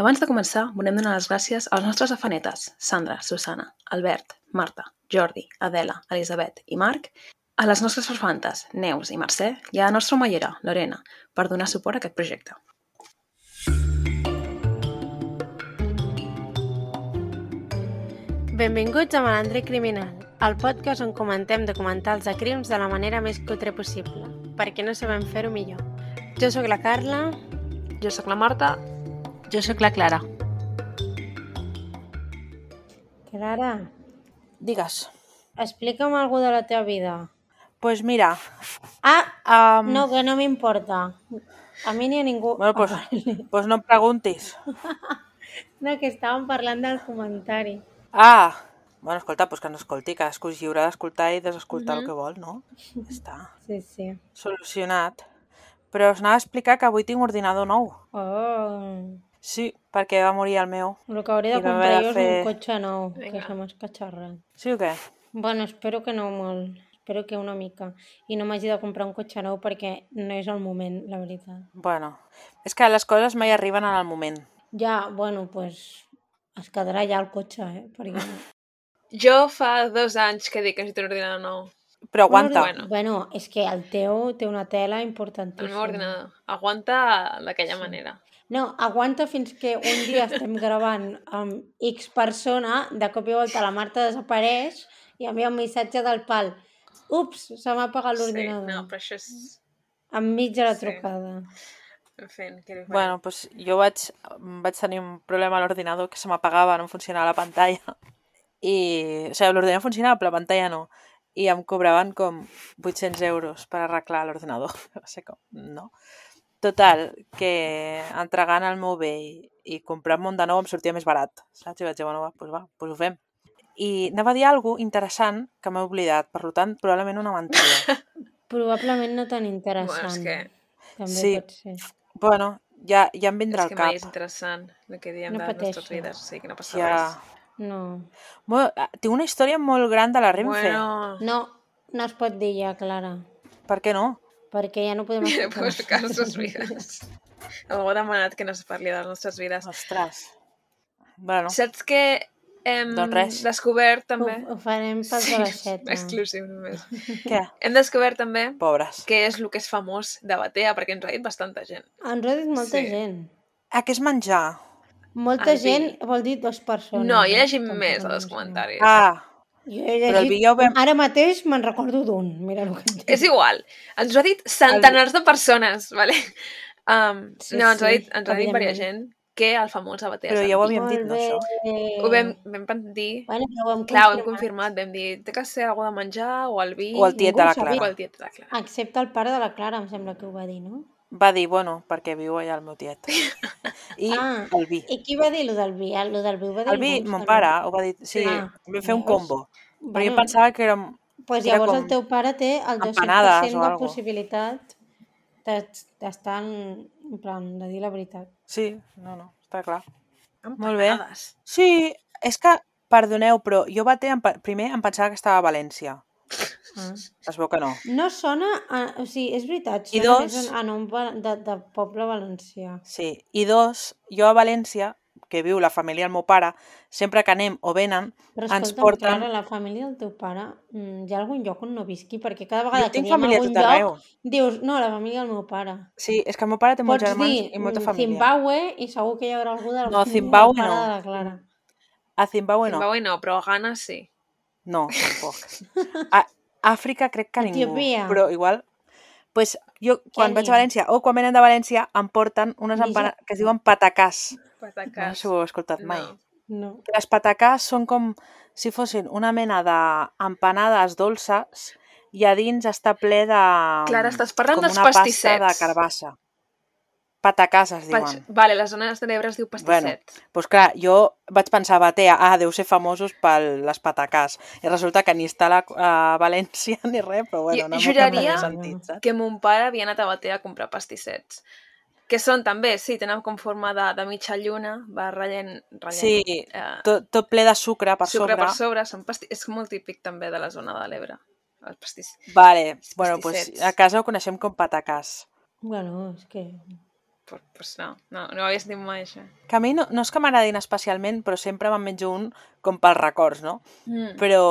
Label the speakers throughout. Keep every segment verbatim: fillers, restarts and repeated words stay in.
Speaker 1: Abans de començar, volem donar les gràcies als nostres afanetes, Sandra, Susana, Albert, Marta, Jordi, Adela, Elisabet i Marc, a les nostres farfantes, Neus i Mercè, i a la nostra omellera, Lorena, per donar suport a aquest projecte.
Speaker 2: Benvinguts a Malandre Criminal, el podcast on comentem documentals de crims de la manera més cutre possible, perquè no sabem fer-ho millor. Jo sóc la Carla.
Speaker 1: Jo sóc la Marta.
Speaker 3: Jo sóc la Clara.
Speaker 2: Clara,
Speaker 3: Digues.
Speaker 2: explica'm alguna de la teva vida.
Speaker 3: Pues mira...
Speaker 2: Ah,
Speaker 3: um,
Speaker 2: no, que no m'importa. A mi ni a ningú...
Speaker 3: Bueno, pues, pues no em preguntis.
Speaker 2: No, que estàvem parlant del comentari.
Speaker 3: Ah, bueno, escolta, pues que no escolti, cadascú és lliure d'escoltar i desescoltar
Speaker 1: Mhm.
Speaker 3: el que vol, no? Ja està.
Speaker 2: Sí, sí.
Speaker 3: Solucionat. Però us anava a explicar que avui tinc ordinador nou.
Speaker 2: Oh,
Speaker 3: Sí, perquè va morir el meu.
Speaker 2: el que hauria de
Speaker 3: I vam
Speaker 2: comprar
Speaker 3: haver
Speaker 2: jo
Speaker 3: de
Speaker 2: és
Speaker 3: fer-
Speaker 2: un cotxe nou, que
Speaker 1: Vinga.
Speaker 2: se m'ha escatxarrat.
Speaker 3: Sí o què?
Speaker 2: Bueno, espero que no molt. Espero que una mica. I no m'hagi de comprar un cotxe nou perquè no és el moment, la veritat.
Speaker 3: Bueno, és que les coses mai arriben en el moment.
Speaker 2: Ja, bueno, pues es quedarà ja el cotxe, eh? Perquè...
Speaker 1: Jo fa dos anys que dic que necessito un ordinador nou.
Speaker 3: Però aguanta.
Speaker 1: Bueno.
Speaker 2: Bueno, és que el teu té una tela
Speaker 1: El
Speaker 2: importantíssima.
Speaker 1: meu ordinador aguanta d'aquella manera.
Speaker 2: No, aguanta fins que un dia estem gravant amb X persona, de cop i volta la Marta desapareix i envia un missatge del pal. Ups, se m'ha apagat
Speaker 1: Sí,
Speaker 2: l'ordinador.
Speaker 1: no, però això és...
Speaker 2: Enmig de la
Speaker 1: Sí.
Speaker 2: trucada.
Speaker 1: En fi, què li faré?
Speaker 3: Bueno, pues jo vaig, vaig tenir un problema a l'ordinador que se m'apagava, no funcionava la pantalla. I, o sigui, l'ordinador funcionava, però la pantalla no. I em cobraven com vuit-cents euros per arreglar l'ordinador. Va ser com, no. Total, que entregant el meu bé i, i comprant-me un de nou em sortia més barat, saps? I vaig dir, bueno, va, doncs va, doncs ho fem. I anava a dir alguna cosa interessant que m'he oblidat, per tant, probablement una mentida.
Speaker 2: Probablement no tan interessant.
Speaker 1: Bueno, és que-
Speaker 2: També
Speaker 3: Sí.
Speaker 2: pot ser.
Speaker 3: Bueno, ja, ja em vindrà
Speaker 1: És que
Speaker 3: al
Speaker 1: mai
Speaker 3: cap.
Speaker 1: és interessant el que diem
Speaker 2: No
Speaker 1: de les nostres
Speaker 2: pateixis.
Speaker 1: vides, o sigui que no passa
Speaker 3: Ja...
Speaker 1: res.
Speaker 2: No.
Speaker 3: Bueno, tinc una història molt gran de la Renfe.
Speaker 1: Bueno,
Speaker 2: No, no es pot dir ja, Clara.
Speaker 3: Per què no?
Speaker 2: Perquè ja no podem
Speaker 1: no
Speaker 2: explicar.
Speaker 1: puc explicar les nostres vides. Algú ha demanat que no es parli de les nostres vides.
Speaker 3: Ostres. Bueno,
Speaker 1: Saps que hem
Speaker 3: Doncs res.
Speaker 1: descobert
Speaker 2: Ho,
Speaker 1: també...
Speaker 2: ho farem pels de l'aixeta.
Speaker 1: exclusiu només.
Speaker 3: què?
Speaker 1: Hem descobert també
Speaker 3: Pobres.
Speaker 1: què és el que és famós de Batea, perquè ens ho ha dit bastanta gent.
Speaker 2: Ens ho ha dit molta
Speaker 1: Sí.
Speaker 2: gent.
Speaker 3: Ah, què és menjar?
Speaker 2: Molta
Speaker 1: El vi.
Speaker 2: gent vol dir dues persones.
Speaker 1: No, hi
Speaker 2: eh?
Speaker 1: ha llegit
Speaker 2: Tampoc
Speaker 1: més
Speaker 2: no
Speaker 1: als
Speaker 2: ens
Speaker 1: comentaris.
Speaker 3: Ah,
Speaker 2: Jo he
Speaker 3: Però el
Speaker 2: llegit...
Speaker 3: vi ja ho vam-
Speaker 2: Ara mateix me'n recordo d'un. Mira el que et dic.
Speaker 1: És igual. Ens ho ha dit centenars de persones, vale? Um,
Speaker 2: Sí,
Speaker 1: no, ens ho ha
Speaker 2: sí,
Speaker 1: dit, ens ho ha dit diversa
Speaker 2: evidentment.
Speaker 1: gent que el famós a Batea
Speaker 3: però
Speaker 1: és
Speaker 3: ja ho
Speaker 1: el vi.
Speaker 3: havíem dit, no, això?
Speaker 1: Ho vam, vam dir...
Speaker 2: Bueno, però ho hem
Speaker 1: Clar, ho hem
Speaker 2: confirmat.
Speaker 1: confirmat, vam dir, té que ser algú de menjar, o el vi...
Speaker 3: O el tiet
Speaker 2: Ningú
Speaker 3: de la
Speaker 2: ho sabia.
Speaker 1: o
Speaker 3: Clara.
Speaker 1: el tiet de la Clara.
Speaker 2: Excepte el pare de la Clara, em sembla que ho va dir, no?
Speaker 3: Va dir, bueno, perquè viu allà el meu tiet. I
Speaker 2: Ah,
Speaker 3: el vi.
Speaker 2: I qui va dir lo del vi? Ah, Lo del vi ho va dir
Speaker 3: El vi,
Speaker 2: algú, em
Speaker 3: mon
Speaker 2: sembla.
Speaker 3: pare, ho va dir. Sí,
Speaker 2: Ah,
Speaker 3: vam fer un
Speaker 2: llavors,
Speaker 3: combo. Però jo
Speaker 2: bueno,
Speaker 3: pensava que era...
Speaker 2: pues
Speaker 3: era
Speaker 2: llavors
Speaker 3: com
Speaker 2: el teu pare té el dos-cents per
Speaker 3: empanades
Speaker 2: cent
Speaker 3: o
Speaker 2: de
Speaker 3: algo.
Speaker 2: possibilitat de- d'estar en, en plan, de dir la veritat.
Speaker 3: Sí, no, no, està clar. Molt bé.
Speaker 1: Empanades.
Speaker 3: Sí, és que, perdoneu, però jo Batea, em pe- primer em pensava que estava a València.
Speaker 2: Ah.
Speaker 3: Es veu que no.
Speaker 2: No sona, a, o sigui, és veritat,
Speaker 3: I
Speaker 2: sona
Speaker 3: dos-
Speaker 2: més a nom va- de, de poble valencià.
Speaker 3: Sí, i dos, jo a València, que viu la família del meu pare, sempre que anem o venen,
Speaker 2: Però
Speaker 3: ens
Speaker 2: escolta'm,
Speaker 3: porten...
Speaker 2: Clara, la família del teu pare, mm, hi ha algun lloc on no visqui? Perquè cada vegada
Speaker 3: Jo
Speaker 2: que
Speaker 3: tinc
Speaker 2: diem
Speaker 3: família a
Speaker 2: algun
Speaker 3: tot arreu.
Speaker 2: lloc, dius, no, la família del meu pare.
Speaker 3: Sí, és que el meu pare té molts
Speaker 2: Pots
Speaker 3: germans
Speaker 2: dir
Speaker 3: i molta
Speaker 2: mm,
Speaker 3: família.
Speaker 2: Zimbabue i segur que hi haurà algú de la
Speaker 3: No,
Speaker 2: família
Speaker 3: Zimbabue
Speaker 2: del pare
Speaker 3: no.
Speaker 2: de la Clara.
Speaker 3: A Zimbabue no.
Speaker 1: Zimbabue no, però a Ghana sí.
Speaker 3: No, tampoc. A Àfrica crec que ningú.
Speaker 2: Etiòpia.
Speaker 3: Però igual... Pues jo, quan vaig a
Speaker 2: Kènia.
Speaker 3: València o quan venen de València, em porten unes
Speaker 2: Niger-
Speaker 3: empanades que es diuen patacàs. No sé
Speaker 1: Patacàs.
Speaker 3: si ho heu escoltat mai.
Speaker 1: No.
Speaker 2: No.
Speaker 3: Que les patacàs són com si fossin una mena d'empanades dolces i a dins està ple de...
Speaker 1: Clara, estàs parlant
Speaker 3: com
Speaker 1: dels
Speaker 3: una
Speaker 1: pastissets.
Speaker 3: pasta de carbassa. Patacàs es
Speaker 1: Pa-
Speaker 3: diuen.
Speaker 1: Vale, les zones de l'Ebre es diu pastisset.
Speaker 3: Doncs pues clar, jo vaig pensar, Batea, ah, deu ser famosos per les patacàs. I resulta que ni està a, la, a València ni res, però bueno,
Speaker 1: Jo
Speaker 3: no
Speaker 1: juraria
Speaker 3: no sentit, saps?
Speaker 1: que mon pare havia anat a Batea a comprar pastissets. Que són també, sí, tenen com forma de, de mitja lluna, va ratllent, ratllent
Speaker 3: Sí,
Speaker 1: eh,
Speaker 3: tot, tot ple de sucre per
Speaker 1: sucre
Speaker 3: sobre.
Speaker 1: per sobre. Són pasti... És molt típic també de la zona de l'Ebre. Els pastís...
Speaker 3: Vale,
Speaker 1: Els
Speaker 3: bueno, pues
Speaker 1: pastissets.
Speaker 3: a casa ho coneixem com patacàs.
Speaker 2: Bueno, és que...
Speaker 1: Pues, pues no, no, no ho havia sentit mai, això.
Speaker 3: Que a mi no, no és que m'agradin especialment, però sempre me'n menjo un com pels records, no?
Speaker 1: Mm.
Speaker 3: Però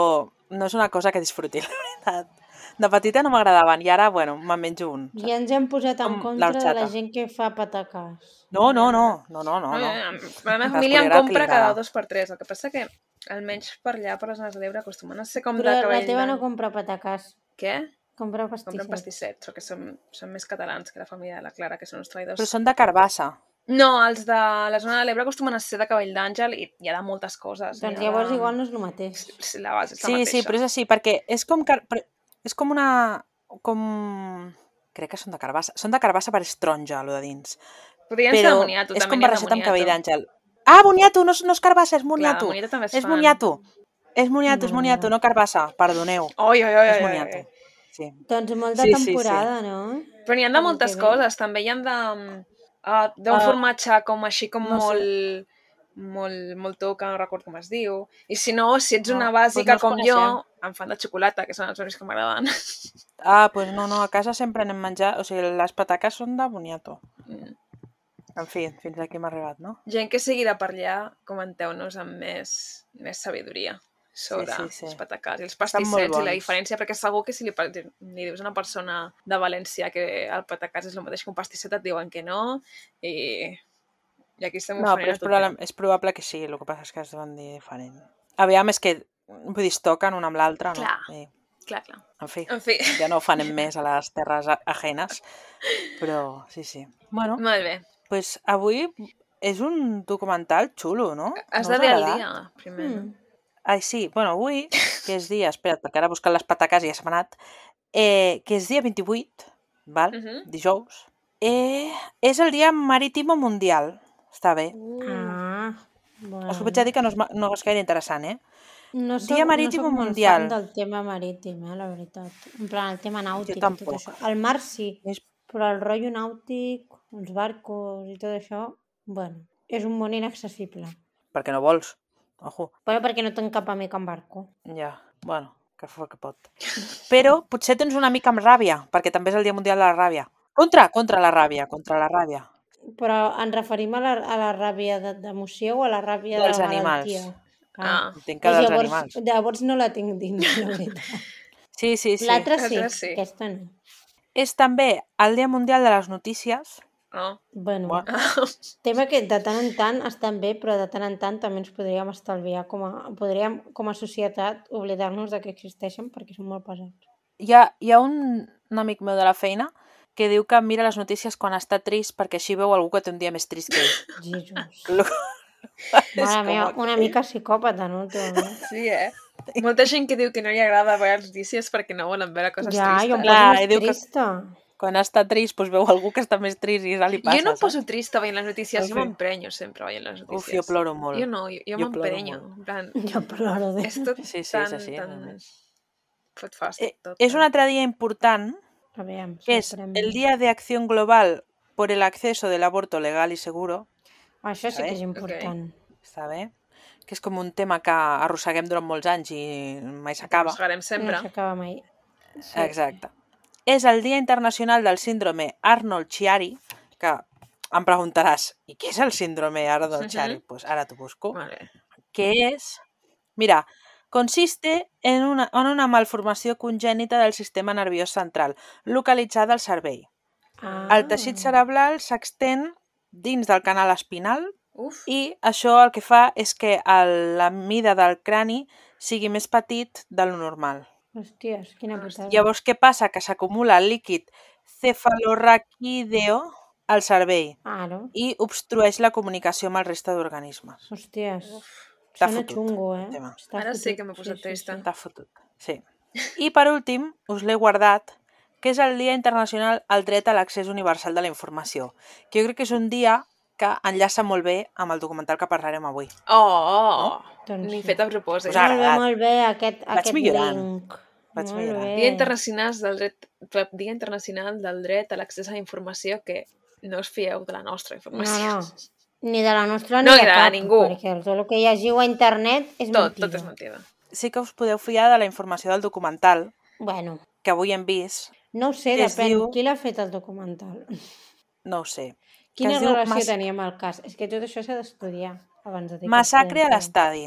Speaker 3: no és una cosa que disfruti, la veritat. De petita no m'agradaven i ara, bueno, me'n menjo un.
Speaker 2: I ens hem posat en
Speaker 3: Com
Speaker 2: contra de la
Speaker 3: l'horchata.
Speaker 2: gent que fa patacàs.
Speaker 3: No, no, no, no, no, no.
Speaker 1: No,
Speaker 3: no.
Speaker 1: eh, la meva
Speaker 3: Cadascú
Speaker 1: família
Speaker 3: li
Speaker 1: en
Speaker 3: agrada el que li
Speaker 1: compra cada
Speaker 3: agrada.
Speaker 1: dos per tres. El que passa que, almenys per allà, per les zones de l'Ebre, acostumen a ser com
Speaker 2: Però
Speaker 1: de
Speaker 2: la
Speaker 1: cabell
Speaker 2: teva no
Speaker 1: d'any.
Speaker 2: compra patacàs,
Speaker 1: Què?
Speaker 2: compra
Speaker 1: Compren
Speaker 2: pastissets.
Speaker 1: pastissets, perquè són, són més catalans que la família de la Clara, que són uns traïdors.
Speaker 3: Però són de carbassa.
Speaker 1: No, els de la zona de l'Ebre acostumen a ser de cabell d'àngel i hi ha de moltes coses.
Speaker 2: Doncs
Speaker 1: Hi ha
Speaker 2: llavors
Speaker 1: de...
Speaker 2: igual no és el mateix.
Speaker 1: Sí, la base és la
Speaker 3: Sí,
Speaker 1: mateixa.
Speaker 3: sí, però és així, perquè és com... Car... però És com una... com... Crec que són de carbassa. Són de carbassa per estronja, allò de dins.
Speaker 1: Podrien ser de
Speaker 3: Però
Speaker 1: moniato,
Speaker 3: és
Speaker 1: també
Speaker 3: com
Speaker 1: n'hi ha de
Speaker 3: barrejat amb cabell
Speaker 1: moniato.
Speaker 3: d'àngel. Ah, moniato, no, és- no és carbassa, és
Speaker 1: Clar, de
Speaker 3: moniato.
Speaker 1: moniato també es
Speaker 3: És
Speaker 1: fan.
Speaker 3: moniato. És moniato, és
Speaker 2: Mare
Speaker 3: moniato,
Speaker 2: meva.
Speaker 3: no carbassa, perdoneu.
Speaker 1: Oi, oi, oi,
Speaker 3: És
Speaker 1: oi,
Speaker 3: moniato.
Speaker 1: oi.
Speaker 3: Sí.
Speaker 2: Doncs molt de
Speaker 3: Sí, sí, sí.
Speaker 2: temporada, no?
Speaker 1: Però n'hi ha de
Speaker 2: L'any
Speaker 1: moltes
Speaker 2: que ve.
Speaker 1: coses, també hi ha de... Uh, d'un
Speaker 3: Ah,
Speaker 1: formatge com així com
Speaker 3: no sé.
Speaker 1: molt... molt, molt tou, que no recordo com es diu. I si no, si ets
Speaker 3: No,
Speaker 1: una
Speaker 3: doncs
Speaker 1: bàsica
Speaker 3: no els
Speaker 1: com jo,
Speaker 3: coneixem.
Speaker 1: em fan de xocolata, que són els únics que m'agraden.
Speaker 3: Ah, doncs no, no, a casa sempre anem menjar... O sigui, les pataques són de boniato.
Speaker 1: Mm.
Speaker 3: En fi, fins aquí hem arribat, no?
Speaker 1: Gent que sigui de per allà, comenteu-nos amb més, més sabidoria sobre
Speaker 3: Sí, sí, sí.
Speaker 1: els patacars i els
Speaker 3: Estan molt
Speaker 1: pastissets i la
Speaker 3: bons.
Speaker 1: diferència, perquè segur que si li, par- li dius a una persona de València que el patacàs és el mateix que un pastisset, et diuen que no, i, i aquí estem
Speaker 3: No, però
Speaker 1: oferint
Speaker 3: és
Speaker 1: a
Speaker 3: probable,
Speaker 1: tothom.
Speaker 3: és probable que sí, el que passa és que es deuen dir diferent. Aviam, és que, vull dir, es toquen una amb l'altra, no?
Speaker 1: Clar.
Speaker 3: I,
Speaker 1: Clar, clar.
Speaker 3: en fi,
Speaker 1: En fi,
Speaker 3: ja no ho fanem més a les terres a- ajenes, però sí, sí. Bueno,
Speaker 1: molt bé.
Speaker 3: doncs avui és un documental xulo, no?
Speaker 1: Has
Speaker 3: No
Speaker 1: de
Speaker 3: us
Speaker 1: dir
Speaker 3: ha
Speaker 1: el
Speaker 3: agradat?
Speaker 1: dia, primer, no?
Speaker 2: Mm.
Speaker 3: Ai, sí, bueno, avui, que és dia, espera't, perquè ara buscant les pataques i ja se m'ha anat, eh, que és dia vint-i-vuit, val?
Speaker 1: Mhm.
Speaker 3: Dijous, eh, és el dia marítim mundial. Està bé.
Speaker 1: Uh,
Speaker 2: Ah,
Speaker 3: Us
Speaker 2: bueno.
Speaker 3: vaig a dir que no és, ma- no és gaire interessant, eh?
Speaker 2: No
Speaker 3: Dia
Speaker 2: soc, no
Speaker 3: marítim
Speaker 2: soc molt
Speaker 3: mundial.
Speaker 2: fan del tema marítim, eh, la veritat. En plan, el tema nàutic i tot
Speaker 3: tampoc.
Speaker 2: això. El mar sí,
Speaker 3: És...
Speaker 2: però el rotllo nàutic, els barcos i tot això, bueno, és un món inaccessible.
Speaker 3: Perquè no vols. Ojo.
Speaker 2: Però perquè no tinc cap amic en barco.
Speaker 3: Ja, bueno, que fa que pot. Però potser tens una mica amb ràbia, perquè també és el Dia Mundial de la Ràbia. Contra, contra la ràbia, contra la ràbia.
Speaker 2: Però ens referim a la, a la ràbia de- d'emoció o a la ràbia
Speaker 3: Dels
Speaker 2: de
Speaker 3: animals.
Speaker 2: malaltia?
Speaker 1: Ah,
Speaker 3: Entenc que
Speaker 2: Doncs
Speaker 3: dels
Speaker 2: llavors,
Speaker 3: animals.
Speaker 2: llavors no la tinc dins, la veritat.
Speaker 3: Sí, sí, sí.
Speaker 2: L'altra sí,
Speaker 1: L'altra sí.
Speaker 2: aquesta no.
Speaker 3: És també el Dia Mundial de les Notícies.
Speaker 1: oh.
Speaker 2: Bueno,
Speaker 3: Bueno,
Speaker 2: tema que de tant en tant estan bé, però de tant en tant també ens podríem estalviar com a, podríem, com a societat, oblidar-nos de que existeixen perquè són molt pesats.
Speaker 3: hi ha, hi ha un, un amic meu de la feina que diu que mira les notícies quan està trist perquè així veu algú que té un dia més trist que ell.
Speaker 2: Jesús.
Speaker 3: Lo-
Speaker 2: Mare meva, una mica psicòpata, no? Últimament.
Speaker 1: Sí, eh? Molta gent que diu que no li agrada veure les notícies perquè no volen veure coses
Speaker 2: Ja, jo em
Speaker 1: tristes.
Speaker 2: poso
Speaker 3: Clar, i
Speaker 2: més
Speaker 3: diu que-
Speaker 2: trista.
Speaker 3: Quan està trist, doncs veu algú que està més trist i ja li passa,
Speaker 1: Jo no em
Speaker 3: saps?
Speaker 1: poso trista veient les notícies,
Speaker 3: En
Speaker 1: jo
Speaker 3: fi.
Speaker 1: m'emprenyo sempre veient les notícies.
Speaker 3: Uf, jo ploro molt.
Speaker 1: Jo no, jo, jo,
Speaker 3: Jo ploro
Speaker 1: m'emprenyo.
Speaker 3: molt.
Speaker 1: En plan,
Speaker 2: Jo ploro de...
Speaker 1: és tot
Speaker 3: Sí, sí, és
Speaker 1: tan,
Speaker 3: així,
Speaker 1: tan...
Speaker 3: realment.
Speaker 1: Fot fàstic,
Speaker 3: Eh,
Speaker 1: tot.
Speaker 3: és
Speaker 1: eh?
Speaker 3: un altre dia important,
Speaker 2: A veure,
Speaker 3: que és el Día de Acción Global por el acceso del aborto legal y seguro.
Speaker 2: Això sí que és
Speaker 3: ¿sabes?
Speaker 2: important.
Speaker 3: Està bé? Que és com un tema que arrosseguem durant molts anys i mai s'acaba.
Speaker 1: Arrossegarem sempre.
Speaker 2: No s'acaba mai. Sí.
Speaker 3: Exacte. És el Dia Internacional del Síndrome Arnold-Chiari, que em preguntaràs, i què és el síndrome Arnold-Chiari?
Speaker 1: Mhm.
Speaker 3: Pues ara t'ho busco.
Speaker 1: Vale.
Speaker 3: Que és... Mira, consiste en una, en una malformació congènita del sistema nerviós central, localitzada al cervell.
Speaker 2: Ah.
Speaker 3: El teixit cerebral s'extén dins del canal espinal
Speaker 1: Uf.
Speaker 3: i això el que fa és que el, la mida del crani sigui més petit de lo normal.
Speaker 2: Hòsties, quina putada.
Speaker 3: Llavors, què passa? Que s'acumula el líquid cefalorraquídeo al cervell
Speaker 2: Ara,
Speaker 3: i obstrueix la comunicació amb el resta d'organismes.
Speaker 2: hòsties.
Speaker 3: Està
Speaker 2: Sona
Speaker 3: fotut,
Speaker 2: xungo,
Speaker 3: el
Speaker 2: eh?
Speaker 3: tema.
Speaker 2: Està
Speaker 1: Ara sí
Speaker 2: fotut.
Speaker 1: que m'he posat trista.
Speaker 3: Està fotut, sí. I per últim, us l'he guardat, que és el Dia Internacional al Dret a l'Accés Universal de la Informació, que jo crec que és un dia que enllaça molt bé amb el documental que parlarem avui.
Speaker 1: Oh!
Speaker 2: Doncs
Speaker 1: Ni
Speaker 2: sí.
Speaker 1: fet a propòsit.
Speaker 3: Us ha
Speaker 2: Molt bé,
Speaker 3: agradat.
Speaker 2: molt bé, aquest,
Speaker 3: Vaig
Speaker 2: aquest
Speaker 3: millorant.
Speaker 2: link.
Speaker 3: Vaig
Speaker 2: molt
Speaker 3: millorant.
Speaker 2: bé.
Speaker 1: Dia Internacional del Dret, Dia Internacional del Dret a l'Accés a la Informació, que no us fieu de la nostra
Speaker 2: No,
Speaker 1: informació.
Speaker 2: no. Ni de la nostra
Speaker 1: No,
Speaker 2: ni
Speaker 1: ni
Speaker 2: de
Speaker 1: de
Speaker 2: cap,
Speaker 1: ningú.
Speaker 2: perquè tot el que llegiu a internet és
Speaker 1: Tot,
Speaker 2: mentida.
Speaker 1: tot és mentida.
Speaker 3: Sí que us podeu fiar de la informació del documental
Speaker 2: Bueno,
Speaker 3: que avui hem vist,
Speaker 2: no ho sé,
Speaker 3: Que es
Speaker 2: depèn.
Speaker 3: diu-
Speaker 2: Qui l'ha fet el documental?
Speaker 3: no ho sé.
Speaker 2: Quina
Speaker 3: es diu
Speaker 2: relació
Speaker 3: Mas-
Speaker 2: tenia amb el cas? És que tot això s'ha d'estudiar abans de dir que
Speaker 3: Massacre
Speaker 2: es
Speaker 3: a
Speaker 2: podem fer.
Speaker 3: l'estadi.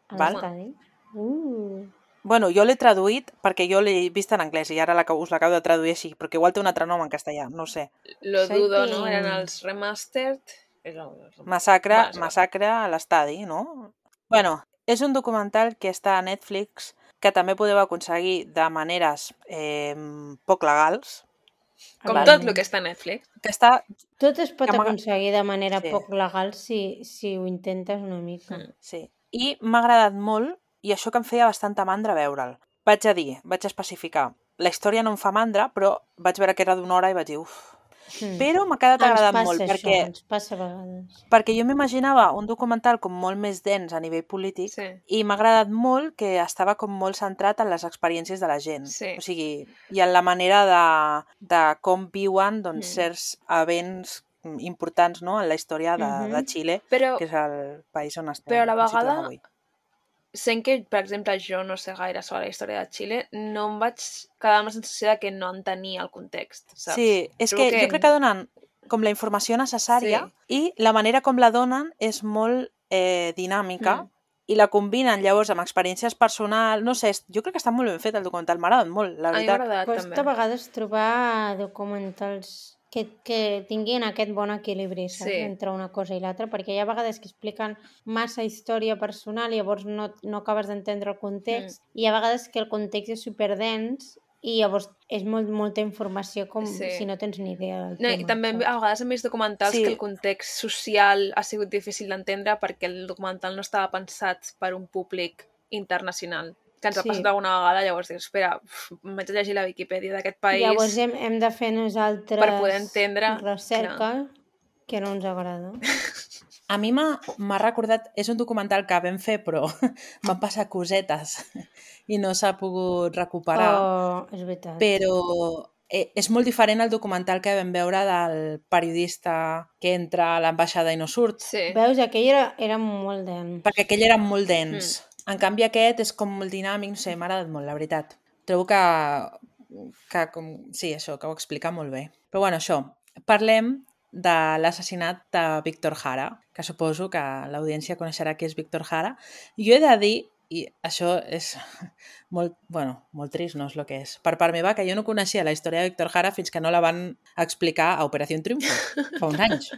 Speaker 2: A
Speaker 3: val?
Speaker 2: l'estadi? Uh,
Speaker 3: Bueno, jo l'he traduït perquè jo l'he vist en anglès i ara l'acabo- us l'acabo de traduir així, perquè igual té un altre nom en castellà, no ho sé.
Speaker 1: Lo dudo, no?
Speaker 2: Exciting.
Speaker 1: Eren els remastered. És el-
Speaker 3: Massacre,
Speaker 1: Bueno, és igual.
Speaker 3: massacre a l'estadi, no? Bueno, és un documental que està a Netflix que també podeu aconseguir de maneres eh, poc legals,
Speaker 1: Com
Speaker 3: Val.
Speaker 1: tot el que està a Netflix.
Speaker 3: que està...
Speaker 2: tot es pot
Speaker 3: Que m'agra-
Speaker 2: aconseguir de manera
Speaker 3: Sí.
Speaker 2: poc legal si, si ho intentes una mica.
Speaker 1: Mm.
Speaker 3: Sí. I m'ha agradat molt, i això que em feia bastanta mandra veure'l. Vaig a dir, vaig a especificar, la història no em fa mandra, però vaig veure que era d'una hora i vaig dir, uf.
Speaker 2: Mm.
Speaker 3: Però m'ha quedat
Speaker 2: Ens
Speaker 3: agradat
Speaker 2: passa
Speaker 3: molt,
Speaker 2: això,
Speaker 3: perquè,
Speaker 2: ens passa a vegades.
Speaker 3: perquè jo m'imaginava un documental com molt més dens a nivell polític,
Speaker 1: Sí.
Speaker 3: i m'ha agradat molt que estava com molt centrat en les experiències de la gent.
Speaker 1: Sí.
Speaker 3: O sigui, i en la manera de, de com viuen doncs,
Speaker 1: Mm.
Speaker 3: certs events mm, importants, no?, en la història de,
Speaker 2: Mhm.
Speaker 3: de Xile,
Speaker 1: Però
Speaker 3: que és el país on estem
Speaker 1: Però a la
Speaker 3: on situem
Speaker 1: vegada-
Speaker 3: avui.
Speaker 1: sent que, per exemple, jo no sé gaire sobre la història de Xile, no em vaig quedar amb la sensació de que no entenia el context, saps?
Speaker 3: Sí, és
Speaker 1: Trobo
Speaker 3: que, jo crec que donen com la informació necessària i la manera com la donen és molt eh, dinàmica
Speaker 1: Mm.
Speaker 3: i la combinen llavors amb experiències personals, no sé, és- jo crec que està molt ben fet el documental, m'ha agradat molt, la
Speaker 1: A mi m'ha
Speaker 3: veritat.
Speaker 1: agradat
Speaker 2: Costa a
Speaker 1: també.
Speaker 2: vegades trobar documentals que, que tinguin aquest bon equilibri, saps?
Speaker 1: Sí.
Speaker 2: Entre una cosa i l'altra, perquè hi ha vegades que expliquen massa història personal i llavors no, no acabes d'entendre el context,
Speaker 1: Mm.
Speaker 2: i hi ha vegades que el context és superdens i llavors és molt, molta informació com
Speaker 1: Sí.
Speaker 2: si no tens ni idea del
Speaker 1: No,
Speaker 2: tema.
Speaker 1: I també
Speaker 2: saps?
Speaker 1: a vegades hem vist documentals
Speaker 3: Sí.
Speaker 1: que el context social ha sigut difícil d'entendre perquè el documental no estava pensat per un públic internacional. Que ens ha
Speaker 2: Sí.
Speaker 1: passat alguna vegada, llavors dius, espera, uf, m'haig de llegir la Viquipèdia d'aquest país.
Speaker 2: Llavors hem, hem de fer nosaltres
Speaker 1: Per poder entendre,
Speaker 2: recerca que no ens agrada.
Speaker 3: A mi m'ha m'ha recordat, és un documental que vam fer però m'han passat cosetes i no s'ha pogut recuperar,
Speaker 2: Oh, és veritat.
Speaker 3: però eh, és molt diferent al documental que vam veure del periodista que entra a l'ambaixada i no surt,
Speaker 1: Sí.
Speaker 2: Veus, aquell era, era molt dens.
Speaker 3: perquè aquell era molt dens. En canvi aquest és com molt dinàmic, no sé, m'ha agradat molt, la veritat. Trobo que, que com, sí, això, que ho explica molt bé. Però bueno, això, parlem de l'assassinat de Víctor Jara, que suposo que l'audiència coneixerà qui és Víctor Jara. Jo he de dir, i això és molt, bueno, molt trist, no és el que és, per part meva, que jo no coneixia la història de Víctor Jara fins que no la van explicar a Operació Triunfo, fa uns anys.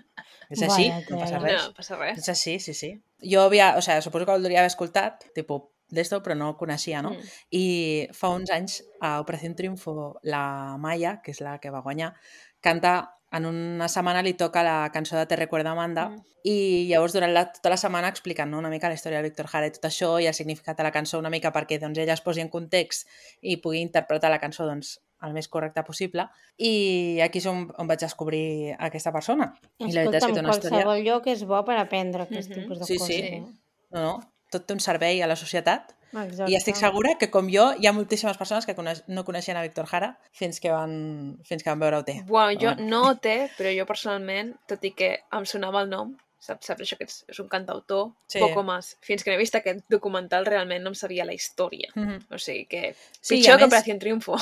Speaker 3: És així,
Speaker 2: Vaya
Speaker 3: no passa
Speaker 2: tela.
Speaker 3: res.
Speaker 1: No, passa res.
Speaker 3: És així, sí, sí. Jo havia, o sigui, suposo que el devia haver escoltat, tipus, d'esto, però no el coneixia, no?
Speaker 1: Mm.
Speaker 3: I fa uns anys, a Operació Triunfo, la Maya, que és la que va guanyar, canta, en una setmana li toca la cançó de Te recuerda Amanda,
Speaker 1: Mm.
Speaker 3: i llavors durant la, tota la setmana expliquen, no?, una mica la història de Víctor Jara i tot això, i el significat de la cançó una mica perquè doncs, ella es posi en context i pugui interpretar la cançó doncs, el més correcte possible. I aquí és on, on vaig descobrir aquesta persona. I la veritat és
Speaker 2: Escolta'm,
Speaker 3: que té una història...
Speaker 2: qualsevol lloc és bo per aprendre aquest
Speaker 1: Mhm.
Speaker 2: tipus de
Speaker 3: Sí,
Speaker 2: coses.
Speaker 3: sí.
Speaker 2: Eh?
Speaker 3: No, no, tot té un servei a la societat.
Speaker 2: Exacte.
Speaker 3: I estic segura que, com jo, hi ha moltíssimes persones que coneix, no coneixien a Víctor Jara fins que van, fins que van veure O T.
Speaker 1: Bueno, jo
Speaker 3: Bueno.
Speaker 1: no té, però jo personalment, tot i que em sonava el nom, saps, saps això que és, és un cantautor,
Speaker 3: Sí.
Speaker 1: sí. poco más. Fins que no he vist aquest documental realment no em sabia la història.
Speaker 3: Mhm.
Speaker 1: O sigui que
Speaker 3: Sí, i
Speaker 1: pitjor
Speaker 3: a
Speaker 1: que
Speaker 3: més-
Speaker 1: Operació Triunfo.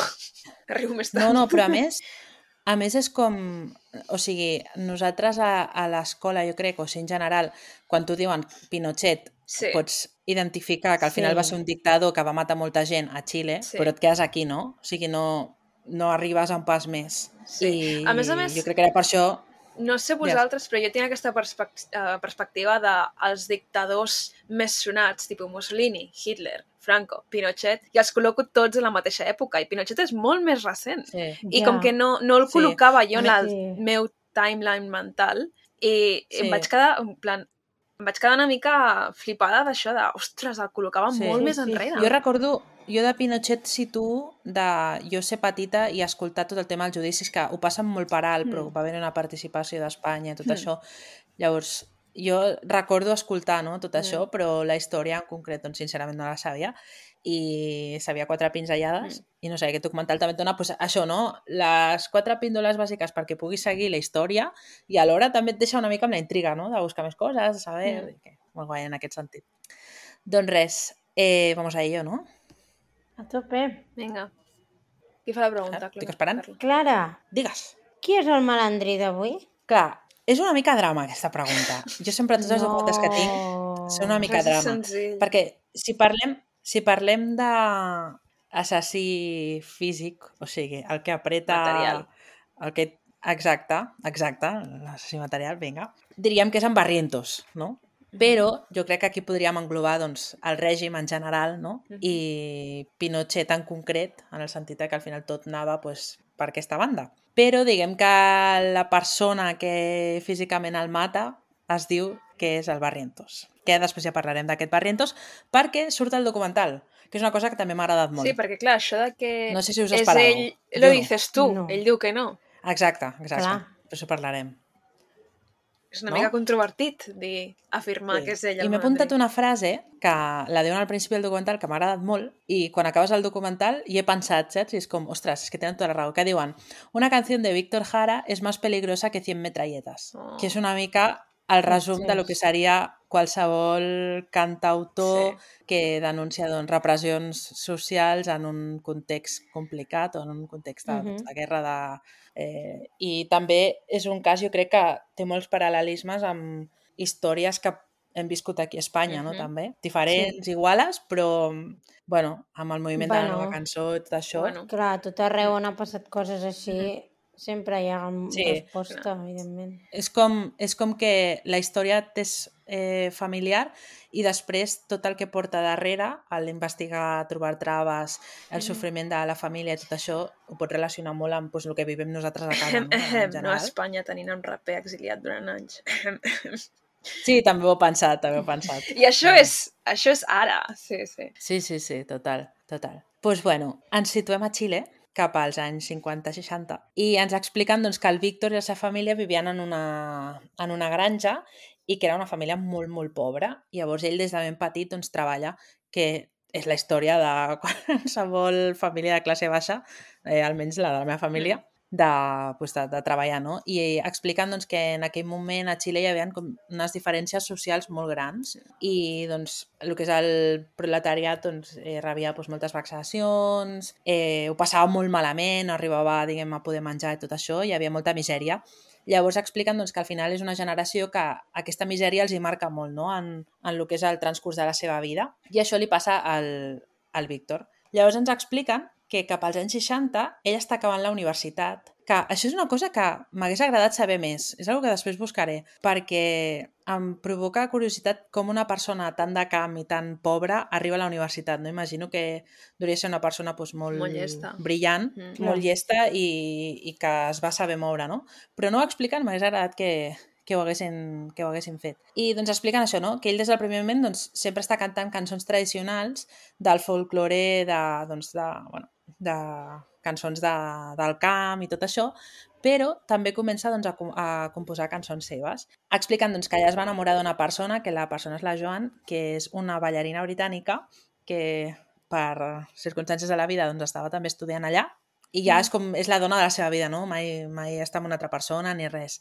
Speaker 1: Arribo més tard.
Speaker 3: No, no, però a més, a més és com... O sigui, nosaltres a, a l'escola, jo crec, o sigui, en general, quan t'ho diuen Pinochet,
Speaker 1: Sí.
Speaker 3: pots identificar que al final
Speaker 2: Sí.
Speaker 3: va ser un dictador que va matar molta gent a Xile,
Speaker 1: Sí.
Speaker 3: però et quedes aquí, no? O sigui, no, no arribes a un pas més.
Speaker 1: Sí.
Speaker 3: I
Speaker 1: A més a més-
Speaker 3: jo crec que era per això...
Speaker 1: No sé vosaltres, però jo tinc aquesta perspec eh, perspectiva dels dictadors més sonats, tipus Mussolini, Hitler, Franco, Pinochet, i els col·loco tots a la mateixa època, i Pinochet és molt més recent.
Speaker 3: Sí.
Speaker 1: I
Speaker 2: Ja.
Speaker 1: com que no, no el
Speaker 3: Sí.
Speaker 1: col·locava jo en
Speaker 2: A
Speaker 1: el
Speaker 2: mi sí.
Speaker 1: meu timeline mental, i
Speaker 3: Sí.
Speaker 1: em vaig quedar, en plan, em vaig quedar una mica flipada d'això, de, ostres, el col·locava
Speaker 3: Sí.
Speaker 1: molt
Speaker 2: Sí,
Speaker 1: més
Speaker 2: sí,
Speaker 1: enrere.
Speaker 3: Jo recordo, jo de Pinochet situo de jo ser petita i escoltar tot el tema dels judicis, que ho passen molt per alt, però
Speaker 1: Mm.
Speaker 3: va haver una participació d'Espanya i tot
Speaker 1: Mm.
Speaker 3: això. Llavors, jo recordo escoltar, no?, tot
Speaker 1: Mm.
Speaker 3: això, però la història en concret, doncs, sincerament no la sabia, i sabia quatre pinzellades, i no sé, aquest documental també et dona pues, això, no?, les quatre píndoles bàsiques perquè puguis seguir la història, i alhora també et deixa una mica amb la intriga, no?, de buscar més coses, de saber...
Speaker 1: Mm.
Speaker 3: i que, molt guai en aquest sentit. Doncs res, eh, vamos a ello, no?
Speaker 2: A tope.
Speaker 1: Vinga. Qui fa la pregunta?
Speaker 3: Ah, estic
Speaker 1: Clara?
Speaker 3: esperant.
Speaker 1: Carla.
Speaker 2: Clara,
Speaker 3: Digues.
Speaker 2: qui és el malandrí d'avui?
Speaker 3: Clar, És una mica drama, aquesta pregunta. Jo sempre, tots els
Speaker 2: No.
Speaker 3: documents que tinc, són una mica
Speaker 1: Res és
Speaker 3: drama.
Speaker 1: senzill.
Speaker 3: Perquè si parlem, si parlem d'assassí físic, o sigui, el que apreta...
Speaker 1: Material.
Speaker 3: El que... Exacte, exacte, l'assassí material, vinga. Diríem que és en Barrientos, no? Però jo crec que aquí podríem englobar doncs, el règim en general, no?
Speaker 1: Mhm.
Speaker 3: I Pinochet en concret, en el sentit que al final tot anava pues, per aquesta banda. Però diguem que la persona que físicament el mata es diu que és el Barrientos. Que després ja parlarem d'aquest Barrientos, perquè surt el documental, que és una cosa que també m'ha agradat molt.
Speaker 1: Sí, perquè clar, això de que
Speaker 3: No sé si us
Speaker 1: és
Speaker 3: esperàveu.
Speaker 1: ell,
Speaker 3: Jo
Speaker 1: lo
Speaker 3: no.
Speaker 1: dices tu,
Speaker 2: No.
Speaker 1: ell diu que no.
Speaker 3: Exacte, exacte.
Speaker 2: Clar.
Speaker 3: Per això parlarem.
Speaker 1: És una
Speaker 3: No?
Speaker 1: mica controvertit dir, afirmar
Speaker 3: Sí.
Speaker 1: que és ell el
Speaker 3: I m'he apuntat
Speaker 1: mateix.
Speaker 3: una frase que la diuen al principi del documental que m'ha agradat molt i quan acabes el documental hi he pensat, saps? I és com, ostres, és que tenen tota la raó. Que diuen, una canción de Víctor Jara es más peligrosa que cien metralletas.
Speaker 1: Oh.
Speaker 3: Que és una mica el resum de lo que seria qualsevol cantautor
Speaker 1: Sí.
Speaker 3: que denuncia doncs, repressions socials en un context complicat o en un context de,
Speaker 2: Mhm.
Speaker 3: doncs, de guerra de... Eh, I també és un cas, jo crec que té molts paral·lelismes amb històries que hem viscut aquí a Espanya, no?
Speaker 1: Mhm.
Speaker 3: També. Diferents, iguales, però bueno, amb el moviment de la
Speaker 2: Bueno.
Speaker 3: nova cançó i tot això.
Speaker 1: Bueno,
Speaker 2: Clar, a tot arreu on ha passat coses així, sempre hi ha
Speaker 3: Sí,
Speaker 2: resposta,
Speaker 1: clar.
Speaker 2: evidentment.
Speaker 3: És com, és com que la història t'és eh, familiar i després tot el que porta darrere, l'investigar, trobar traves, el sofriment de la família i tot això, ho pots relacionar molt amb pues, el que vivim nosaltres a casa, no? En
Speaker 1: no a
Speaker 3: general.
Speaker 1: Espanya tenint un raper exiliat durant anys.
Speaker 3: Sí, també ho he pensat, també ho he pensat.
Speaker 1: I això és, això és ara, sí, sí.
Speaker 3: Sí, sí, sí, total, total. Doncs pues bueno, ens situem a Xile, cap als anys cinquanta seixanta, i ens expliquen doncs, que el Víctor i la seva família vivien en una, en una granja i que era una família molt, molt pobra. I llavors ell des de ben petit doncs, treballa, que és la història de qualsevol família de classe baixa, eh, almenys la de la meva família, de, pues, de, de treballar, no? I expliquen doncs, que en aquell moment a Xile hi havia com unes diferències socials molt grans i doncs, el que és el proletariat doncs, eh, rebia doncs, moltes vexacions, eh, ho passava molt malament, no arribava diguem, a poder menjar i tot això, hi havia molta misèria. Llavors expliquen doncs, que al final és una generació que aquesta misèria els hi marca molt, no? en, en el que és el transcurs de la seva vida, i això li passa al, al Víctor. Llavors ens expliquen que cap als anys seixanta ell està acabant la universitat, que això és una cosa que m'hagués agradat saber més, és una que després buscaré, perquè em provoca curiositat com una persona tan de camp i tan pobra arriba a la universitat, no? Imagino que hauria ser una persona doncs, molt,
Speaker 1: Molt llesta.
Speaker 3: brillant,
Speaker 1: Mm.
Speaker 3: molt llesta i, i que es va saber moure, no? Però no ho expliquen, m'hagués agradat que, que ho haguessin, que ho haguessin fet. I doncs expliquen això, no? Que ell des del primer moment doncs, sempre està cantant cançons tradicionals del folklore, de, doncs, de, bueno, de cançons de, del camp i tot això, però també comença doncs, a, a composar cançons seves. Expliquen doncs, que ella es va enamorar d'una persona, que la persona és la Joan, que és una ballarina britànica que per circumstàncies de la vida doncs, estava també estudiant allà i ja és, com, és la dona de la seva vida, no? Mai, mai està amb una altra persona ni res.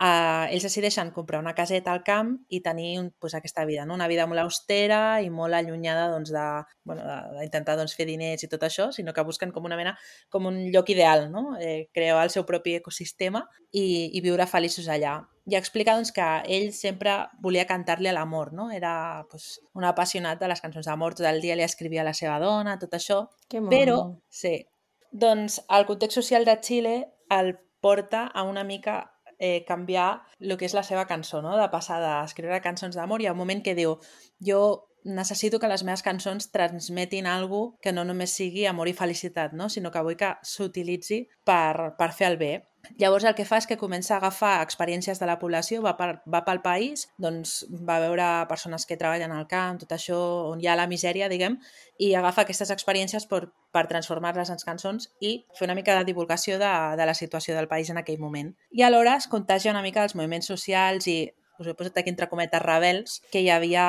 Speaker 3: Uh, ells decideixen comprar una caseta al camp i tenir un, pues, aquesta vida, no? Una vida molt austera i molt allunyada doncs, de, bueno, d'intentar doncs, fer diners i tot això, sinó que busquen com una mena, com un lloc ideal, no? Eh, crear el seu propi ecosistema i, i viure feliços allà. I explica doncs, que ell sempre volia cantar-li a l'amor, no? Era pues, un apassionat de les cançons d'amor, tot el dia li escrivia a la seva dona, tot això,
Speaker 2: Que
Speaker 3: però,
Speaker 2: mono.
Speaker 3: sí, doncs el context social de Xile el porta a una mica eh, canviar el que és la seva cançó, no? De passar d'escriure cançons d'amor i hi ha un moment que diu jo necessito que les meves cançons transmetin alguna que no només sigui amor i felicitat, no? Sinó que vull que s'utilitzi per, per fer el bé. Llavors el que fa és que comença a agafar experiències de la població, va, per, va pel país, doncs va veure persones que treballen al camp, tot això on hi ha la misèria, diguem, i agafa aquestes experiències per, per transformar-les en cançons i fer una mica de divulgació de, de la situació del país en aquell moment. I alhora es contagia una mica dels moviments socials i us he posat aquí entre cometes rebels que hi havia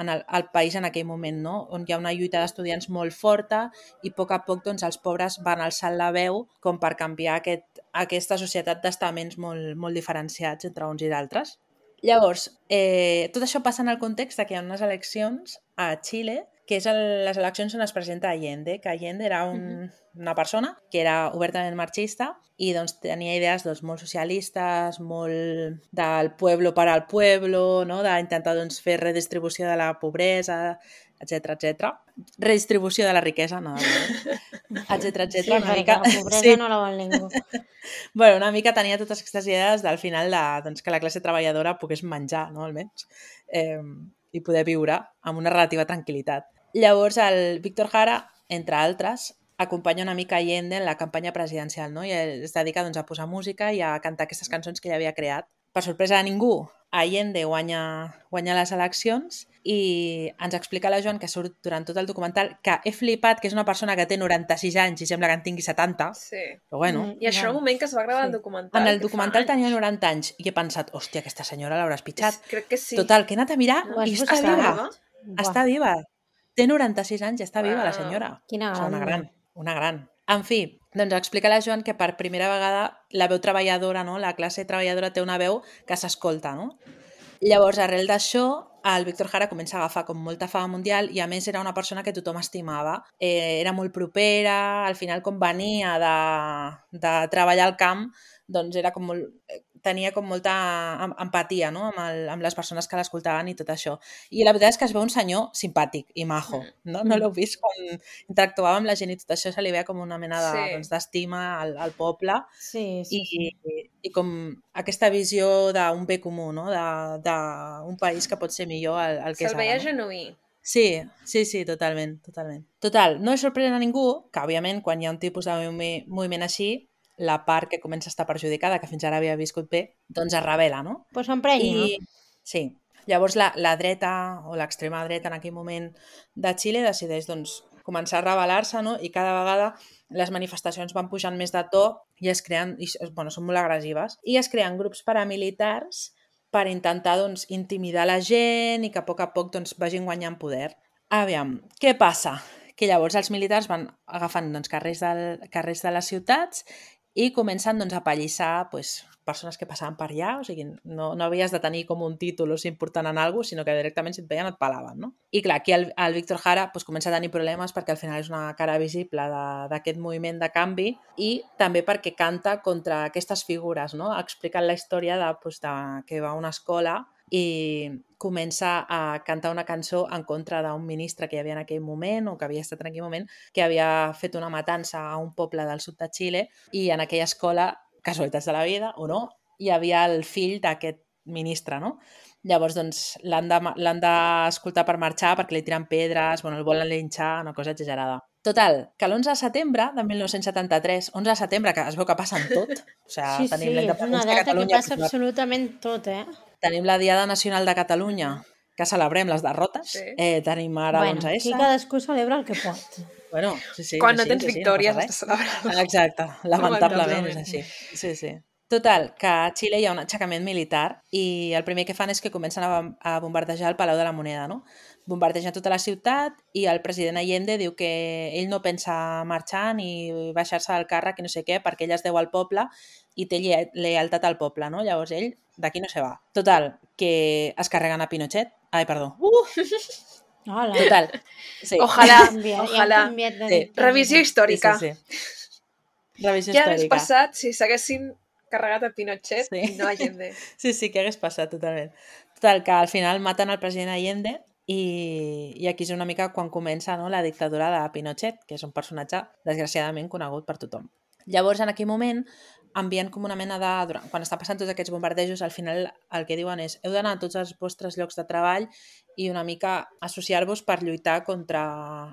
Speaker 3: en el, al país en aquell moment, no? On hi ha una lluita d'estudiants molt forta i a poc a poc doncs, els pobres van alçant la veu com per canviar aquest, aquesta societat d'estaments molt, molt diferenciats entre uns i d'altres. Llavors, eh, tot això passa en el context que hi ha unes eleccions a Xile que és el, les eleccions on es presenta Allende, que Allende era un, uh-huh. una persona que era obertament marxista i doncs, tenia idees doncs, molt socialistes, molt del pueblo per al pueblo, no? D'intentar doncs, fer redistribució de la pobresa, etcètera, etcètera. Redistribució de la riquesa, no, etcètera, etcètera.
Speaker 2: Sí,
Speaker 3: una
Speaker 2: perquè
Speaker 3: mica...
Speaker 2: la pobresa
Speaker 3: sí.
Speaker 2: no la vol ningú.
Speaker 3: Bueno, una mica tenia totes aquestes idees del final de, doncs, que la classe treballadora pogués menjar, no, almenys, eh, i poder viure amb una relativa tranquil·litat. Llavors, el Víctor Jara, entre altres, acompanya una mica Allende en la campanya presidencial, no? I es dedica doncs, a posar música i a cantar aquestes cançons que ell havia creat. Per sorpresa de ningú, Allende guanya, guanya les eleccions i ens explica la Joan, que surt durant tot el documental, que he flipat, que és una persona que té noranta-sis anys i sembla que en tingui setanta.
Speaker 1: Sí.
Speaker 3: Però bueno.
Speaker 1: Mm, I això en el moment que es va gravar sí. el documental.
Speaker 3: En el documental tenia noranta anys i he pensat, hòstia, aquesta senyora l'hauràs pitjat.
Speaker 1: És, crec que sí.
Speaker 3: Total, que he anat a mirar
Speaker 2: no,
Speaker 3: i està viva. Està viva. Té noranta-sis anys i està viva wow. la senyora.
Speaker 2: Quina
Speaker 3: o sigui, una gran, una gran. En fi, doncs explica la Joan que per primera vegada la veu treballadora, no? La classe treballadora té una veu que s'escolta, no? Llavors, arrel d'això, el Víctor Jara comença a agafar com molta fama mundial i a més era una persona que tothom estimava. Eh, era molt propera, al final com venia de, de treballar al camp, doncs era com molt... tenia com molta empatia, no? amb, el, amb les persones que l'escoltaven i tot això. I la veritat és que es veu un senyor simpàtic i majo. No, no l'heu vist quan interactuava amb la gent i tot això se li veia com una mena de, sí. doncs, d'estima al, al poble
Speaker 2: sí, sí,
Speaker 3: i,
Speaker 2: sí.
Speaker 3: i, i com aquesta visió d'un bé comú, no? d'un país que pot ser millor el, el que és ara.
Speaker 1: Se'l veia
Speaker 3: no?
Speaker 1: genuí.
Speaker 3: Sí, sí, sí, totalment, totalment. Total, no és sorprèn a ningú que, òbviament, quan hi ha un tipus de moviment així, la part que comença a estar perjudicada, que fins ara havia viscut bé, doncs es revela, no?
Speaker 2: Pues s'emprenya.
Speaker 3: I... Sí. Llavors la, la dreta o l'extrema dreta en aquell moment de Xile decideix doncs, començar a rebel·lar-se, no? I cada vegada les manifestacions van pujant més de to i es creen, i, bueno, són molt agressives, i es creen grups paramilitars per intentar doncs, intimidar la gent i que a poc a poc doncs, vagin guanyant poder. Aviam, què passa? Que llavors els militars van agafant doncs, carrers, del, carrers de les ciutats i comencen doncs, a pallissar pues, persones que passaven per allà, o sigui, no, no havies de tenir com un títol o ser important en alguna cosa, sinó que directament si et veien et palaven, no? I clar, aquí el, el Víctor Jara pues, comença a tenir problemes perquè al final és una cara visible d'aquest moviment de canvi i també perquè canta contra aquestes figures, no? Explicant la història de, pues, de, que va a una escola i comença a cantar una cançó en contra d'un ministre que hi havia en aquell moment o que havia estat en aquell moment, que havia fet una matança a un poble del sud de Xile i en aquella escola, casualitats de la vida o no, hi havia el fill d'aquest ministre, no? Llavors, doncs, l'han d'escoltar per marxar perquè li tiren pedres, bueno, el volen linxar, una cosa exagerada. Total, que l'onze de setembre de mil nou-cents setanta-tres, onze de setembre, que es veu que passa en tot, o sigui,
Speaker 2: sí,
Speaker 3: tenim
Speaker 2: sí,
Speaker 3: la independència de Catalunya...
Speaker 2: Sí, és una data que passa absolutament tot, eh?
Speaker 3: Tenim la Diada Nacional de Catalunya, que celebrem les derrotes. Sí. Eh, tenim ara
Speaker 2: bueno,
Speaker 3: l'onze essa.
Speaker 2: Aquí cadascú celebra el que pot.
Speaker 3: Bueno, sí, sí.
Speaker 1: Quan no
Speaker 3: així,
Speaker 1: tens
Speaker 3: així,
Speaker 1: victòries
Speaker 3: no
Speaker 1: has de celebrar.
Speaker 3: Exacte, lamentablement és així. Sí, sí. Total, que a Xile hi ha un aixecament militar i el primer que fan és que comencen a bombardejar el Palau de la Moneda, no? Bombardegen tota la ciutat i el president Allende diu que ell no pensa marxar ni baixar-se del càrrec i no sé què, perquè ell es deu al poble i té lealtat al poble, no? Llavors ell d'aquí no se va. Total, que es carreguen a Pinochet. Ai, perdó. Uh!
Speaker 2: Hola.
Speaker 3: Total. Sí.
Speaker 1: Ojalà,
Speaker 2: canviat,
Speaker 1: ojalà.
Speaker 2: Ja
Speaker 1: sí. Revisió històrica.
Speaker 3: Sí, sí, sí. Revisió
Speaker 1: Què
Speaker 3: històrica.
Speaker 1: hagués passat si s'haguessin carregat a Pinochet sí. i no Allende?
Speaker 3: Sí, sí, què hagués passat, totalment. Total, que al final maten el president Allende i, i aquí és una mica quan comença, no, la dictadura de Pinochet, que és un personatge desgraciadament conegut per tothom. Llavors, en aquell moment, envien com una mena de... Quan estan passant tots aquests bombardejos, al final el que diuen és heu d'anar a tots els vostres llocs de treball i una mica associar-vos per lluitar contra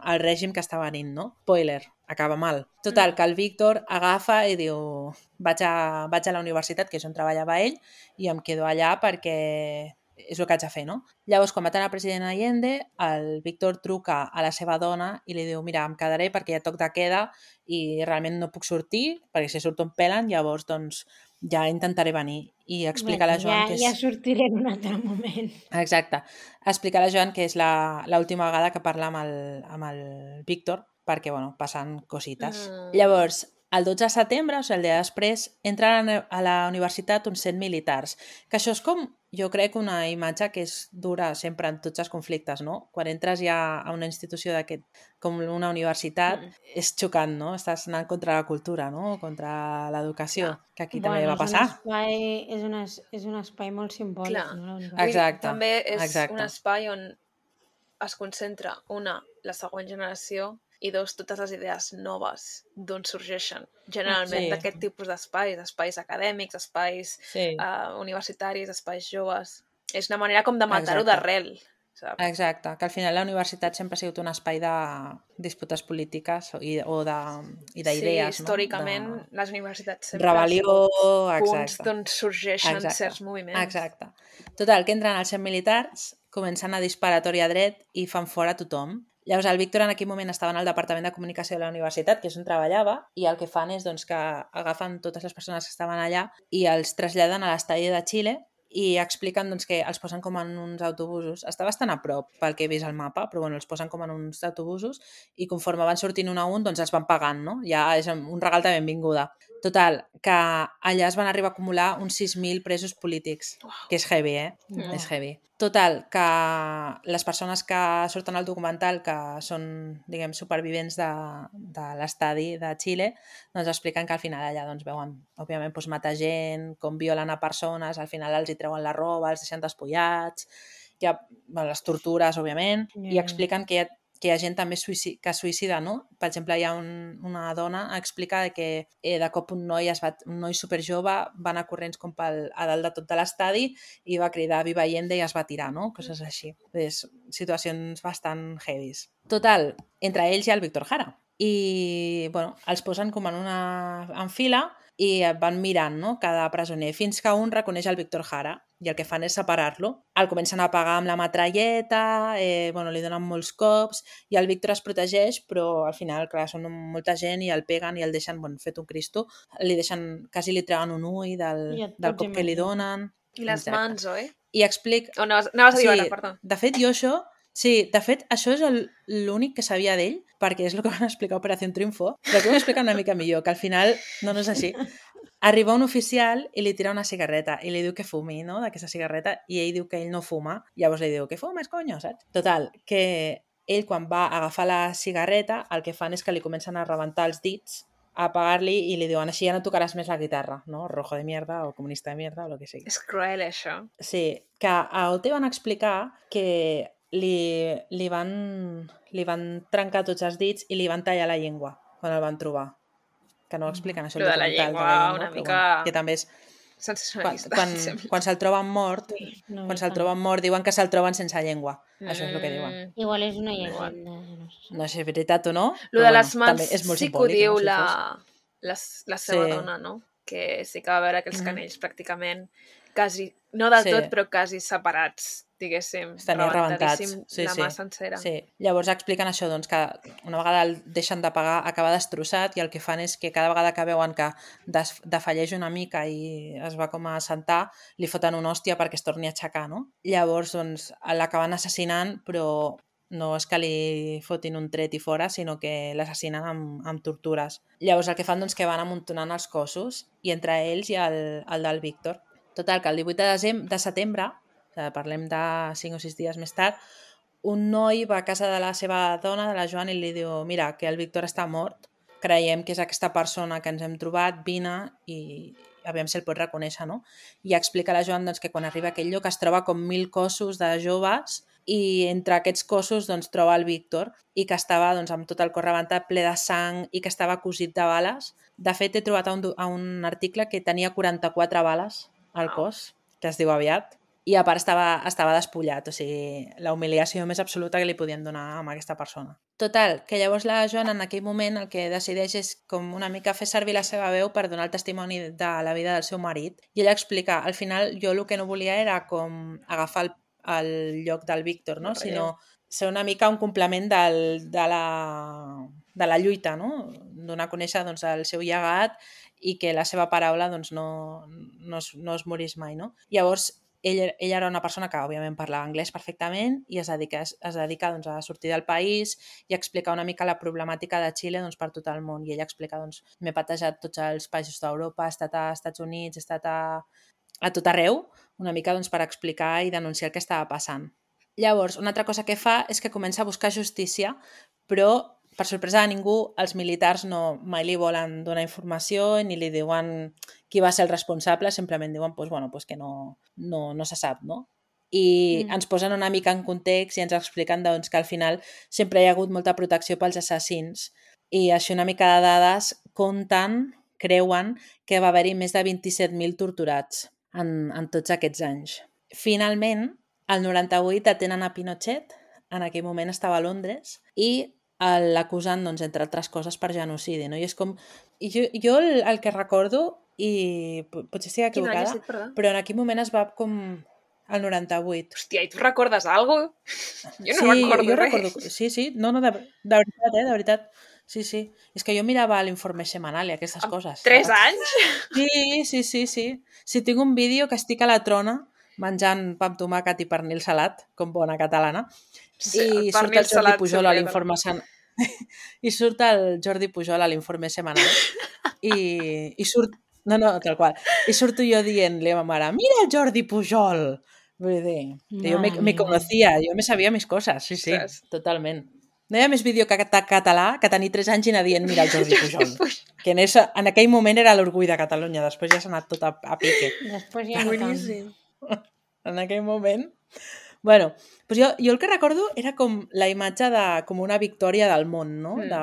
Speaker 3: el règim que està venint, no? Spoiler, acaba mal. Total, que el Víctor agafa i diu vaig a, vaig a la universitat, que és on treballava ell, i em quedo allà perquè és el que haig de fer, no? Llavors, quan maten el president Allende, el Víctor truca a la seva dona i li diu mira, em quedaré perquè hi ha toc de queda i realment no puc sortir, perquè si surto em pelen, llavors doncs ja intentaré venir. I explica a la Joan
Speaker 2: ja,
Speaker 3: que és...
Speaker 2: Ja sortiré en un altre moment.
Speaker 3: Exacte. Explica a la Joan que és l'última vegada que parla amb el, amb el Víctor perquè, bueno, passen cosites. Mm. Llavors, el dotze de setembre, o sigui, el dia després, entren a la universitat uns cent militars. Que això és com jo crec una imatge que és dura sempre en tots els conflictes, no? Quan entres ja a una institució d'aquest, com una universitat, mm. és xocant, no? Estàs anant contra la cultura, no? Contra l'educació, yeah. que aquí
Speaker 2: bueno,
Speaker 3: també va passar.
Speaker 2: És un espai, és un, es, és un espai molt simbòlic,
Speaker 1: Clar.
Speaker 2: no? La universitat.
Speaker 1: Exacte. També és
Speaker 3: exacte.
Speaker 1: un espai on es concentra, una, la següent generació, i dos, totes les idees noves d'on sorgeixen. Generalment sí. d'aquest tipus d'espais, espais acadèmics, espais sí. uh, universitaris, espais joves. És una manera com de matar-ho d'arrel. Saps?
Speaker 3: Exacte, que al final la universitat sempre ha sigut un espai de disputes polítiques i, o de, i d'idees.
Speaker 1: Sí, històricament
Speaker 3: no? de...
Speaker 1: les universitats sempre
Speaker 3: Rebel·lió,
Speaker 1: han sigut punts d'on sorgeixen
Speaker 3: exacte.
Speaker 1: certs moviments.
Speaker 3: Exacte. Total, que entren els cent militars, comencen a disparar a tor i a dret i fan fora tothom. Llavors el Víctor en aquell moment estava en el Departament de Comunicació de la Universitat, que és on treballava, i el que fan és doncs, que agafen totes les persones que estaven allà i els traslladen a l'estadi de Xile i expliquen doncs, que els posen com en uns autobusos. Està bastant a prop pel que he vist al mapa, però bueno, els posen com en uns autobusos i conforme van sortint un a un doncs els van pagant, no? Ja és un regal de benvinguda. Total, que allà es van arribar a acumular uns sis mil presos polítics, que és heavy, eh? Mm. És heavy. Total, que les persones que surten al documental, que són, diguem, supervivents de, de l'estadi de Xile, doncs expliquen que al final allà doncs, veuen, òbviament, doncs, matar gent, com violen a persones, al final els hi treuen la roba, els deixen despullats, hi ha bueno, les tortures, òbviament, yeah. i expliquen que hi ha que hi ha gent també suïcida, que suïcida, no? Per exemple, hi ha un, una dona que explica que eh, de cop un noi, es va, un noi superjove va anar corrents com pel, a dalt de tot de l'estadi i va cridar Viva Allende i es va tirar, no? Coses així. És situacions bastant heavies. Total, entre ells hi ha el Víctor Jara. I, bueno, els posen com en una en fila i van mirant, no?, cada presoner, fins que un reconeix el Víctor Jara i el que fan és separar-lo. El comencen a apagar amb la metralleta, eh, bueno, li donen molts cops i el Víctor es protegeix, però al final, clar, són molta gent i el peguen i el deixen, bueno, fet un cristo, li deixen, quasi li treuen un ull del, del cop que li donen.
Speaker 1: I les exacte. Mans, oi?
Speaker 3: I explic...
Speaker 1: Oh, anaves, anaves a dir
Speaker 3: sí,
Speaker 1: ara, perdó.
Speaker 3: De fet, jo això... Sí, de fet, això és l'únic que sabia d'ell, perquè és el que van explicar a Operació Triunfo, però que ho explica una mica millor, que al final no, no és així. Arriba un oficial i li tira una cigarreta i li diu que fumi, no?, d'aquesta cigarreta, i ell diu que ell no fuma, llavors li diu que fumes, coño, saps? Total, que ell quan va agafar la cigarreta el que fan és que li comencen a rebentar els dits, a apagar-li i li diuen així ja no tocaràs més la guitarra, no? Rojo de mierda o comunista de mierda o el que sigui.
Speaker 1: És cruel, això.
Speaker 3: Sí, que a Ote van explicar que Li, li, van, li van trencar tots els dits i li van tallar la llengua quan el van trobar. Que no ho expliquen, això.
Speaker 1: Lo de la llengua, de la llengua una mica...
Speaker 3: Bueno, que també és...
Speaker 1: sensacionalista.
Speaker 3: Quan, quan, quan se'l troben mort, sí, no quan se'l troben mort, diuen que se'l troben sense llengua. Mm. Això és el que diuen.
Speaker 2: Igual és una llegenda.
Speaker 3: No sé si és veritat o no.
Speaker 1: Lo de les mans
Speaker 3: bueno,
Speaker 1: sí que ho diu no, la, la, la seva sí. dona, no? Que sí que va veure aquells canells mm. pràcticament quasi, no del sí. tot, però quasi separats, diguéssim,
Speaker 3: rebentadíssim
Speaker 1: sí, la
Speaker 3: sí.
Speaker 1: mà sencera.
Speaker 3: Sí. Llavors expliquen això, doncs, que una vegada el deixen de pagar acaba destrossat i el que fan és que cada vegada que veuen que defalleix una mica i es va com a assentar, li foten una hòstia perquè es torni a aixecar, no? Llavors, doncs, l'acaben assassinant, però no és que li fotin un tret i fora, sinó que l'assassinen amb, amb tortures. Llavors el que fan doncs que van amuntonant els cossos i entre ells hi ha el, el del Víctor. Total, que el divuit de, desembre, de setembre, o sigui, parlem de cinc o sis dies més tard, un noi va a casa de la seva dona, de la Joana, i li diu mira, que el Víctor està mort, creiem que és aquesta persona que ens hem trobat, vine i aviam si el pot reconèixer, no? I explica a la Joana doncs, que quan arriba a aquell lloc es troba com mil cossos de joves i entre aquests cossos doncs, troba el Víctor i que estava doncs, amb tot el cor rebentat, ple de sang i que estava cosit de bales. De fet, he trobat a un, a un article que tenia quaranta-quatre bales al cos, que es diu aviat, i a part estava, estava despullat, o sigui, la humiliació més absoluta que li podien donar a aquesta persona. Total, que llavors la Joana en aquell moment el que decideix és com una mica fer servir la seva veu per donar el testimoni de la vida del seu marit, i ella explica, al final jo el que no volia era com agafar el, el lloc del Víctor, no? Sinó ser una mica un complement del, de, la, de la lluita, no? Donar a conèixer doncs, el seu llegat i que la seva paraula doncs, no, no, es, no es morís mai, no? Llavors, ell, ella era una persona que, òbviament, parlava anglès perfectament i es dedica, es dedica doncs, a sortir del país i explicar una mica la problemàtica de Xile doncs, per tot el món. I ella explica, doncs, m'he patejat tots els països d'Europa, he estat a Estats Units, he estat a, a tot arreu, una mica doncs, per explicar i denunciar el que estava passant. Llavors, una altra cosa que fa és que comença a buscar justícia, però, per sorpresa de ningú, els militars no mai li volen donar informació ni li diuen qui va ser el responsable, simplement diuen pues, bueno, pues que no, no, no se sap, no? I mm. ens posen una mica en context i ens expliquen doncs, que al final sempre hi ha hagut molta protecció pels assassins i així una mica de dades compten, creuen que va haver-hi més de vint-i-set mil torturats en, en tots aquests anys. Finalment, el noranta-vuit detenen a Pinochet, en aquell moment estava a Londres, i l'acusen, doncs, entre altres coses, per genocidi. No? I és com... I jo, jo el, el que recordo, i potser estic equivocada,
Speaker 1: Quin
Speaker 3: però en aquell moment es va com... el noranta-vuit.
Speaker 1: Hòstia, i tu recordes alguna cosa? Jo no
Speaker 3: sí,
Speaker 1: recordo
Speaker 3: jo
Speaker 1: res.
Speaker 3: Recordo, sí, sí, no, no, de, de veritat, eh, de veritat. Sí, sí. És que jo mirava l'informe setmanal i aquestes
Speaker 1: Amb
Speaker 3: coses.
Speaker 1: Tres
Speaker 3: saps?
Speaker 1: anys?
Speaker 3: Sí, sí, sí, sí. Si tinc un vídeo que estic a la trona menjant pa amb tomàquet i pernil salat, com bona catalana,
Speaker 1: Sí,
Speaker 3: i
Speaker 1: el
Speaker 3: surt
Speaker 1: pernil
Speaker 3: el Jordi
Speaker 1: salat
Speaker 3: Pujol a
Speaker 1: sempre,
Speaker 3: l'informe sen... i surt el Jordi Pujol a l'informe setmanal i, i surt... No, no, tal qual. I surto jo dient-li a ma mare, mira el Jordi Pujol! Vull dir, jo me, me conocía, jo me sabia mis coses, sí, sí,
Speaker 1: Ostres.
Speaker 3: totalment. No hi ha més vídeo que català que tenir tres anys i anar dient mira el Jordi Pujol. Que en, esa, en aquell moment era l'orgull de Catalunya, després ja s'ha anat tot a, a pique.
Speaker 2: Després ja no tant.
Speaker 1: Boníssim.
Speaker 3: En aquell moment... Bueno, doncs jo, jo el que recordo era com la imatge de com una victòria del món, no?
Speaker 1: Mm.
Speaker 3: De...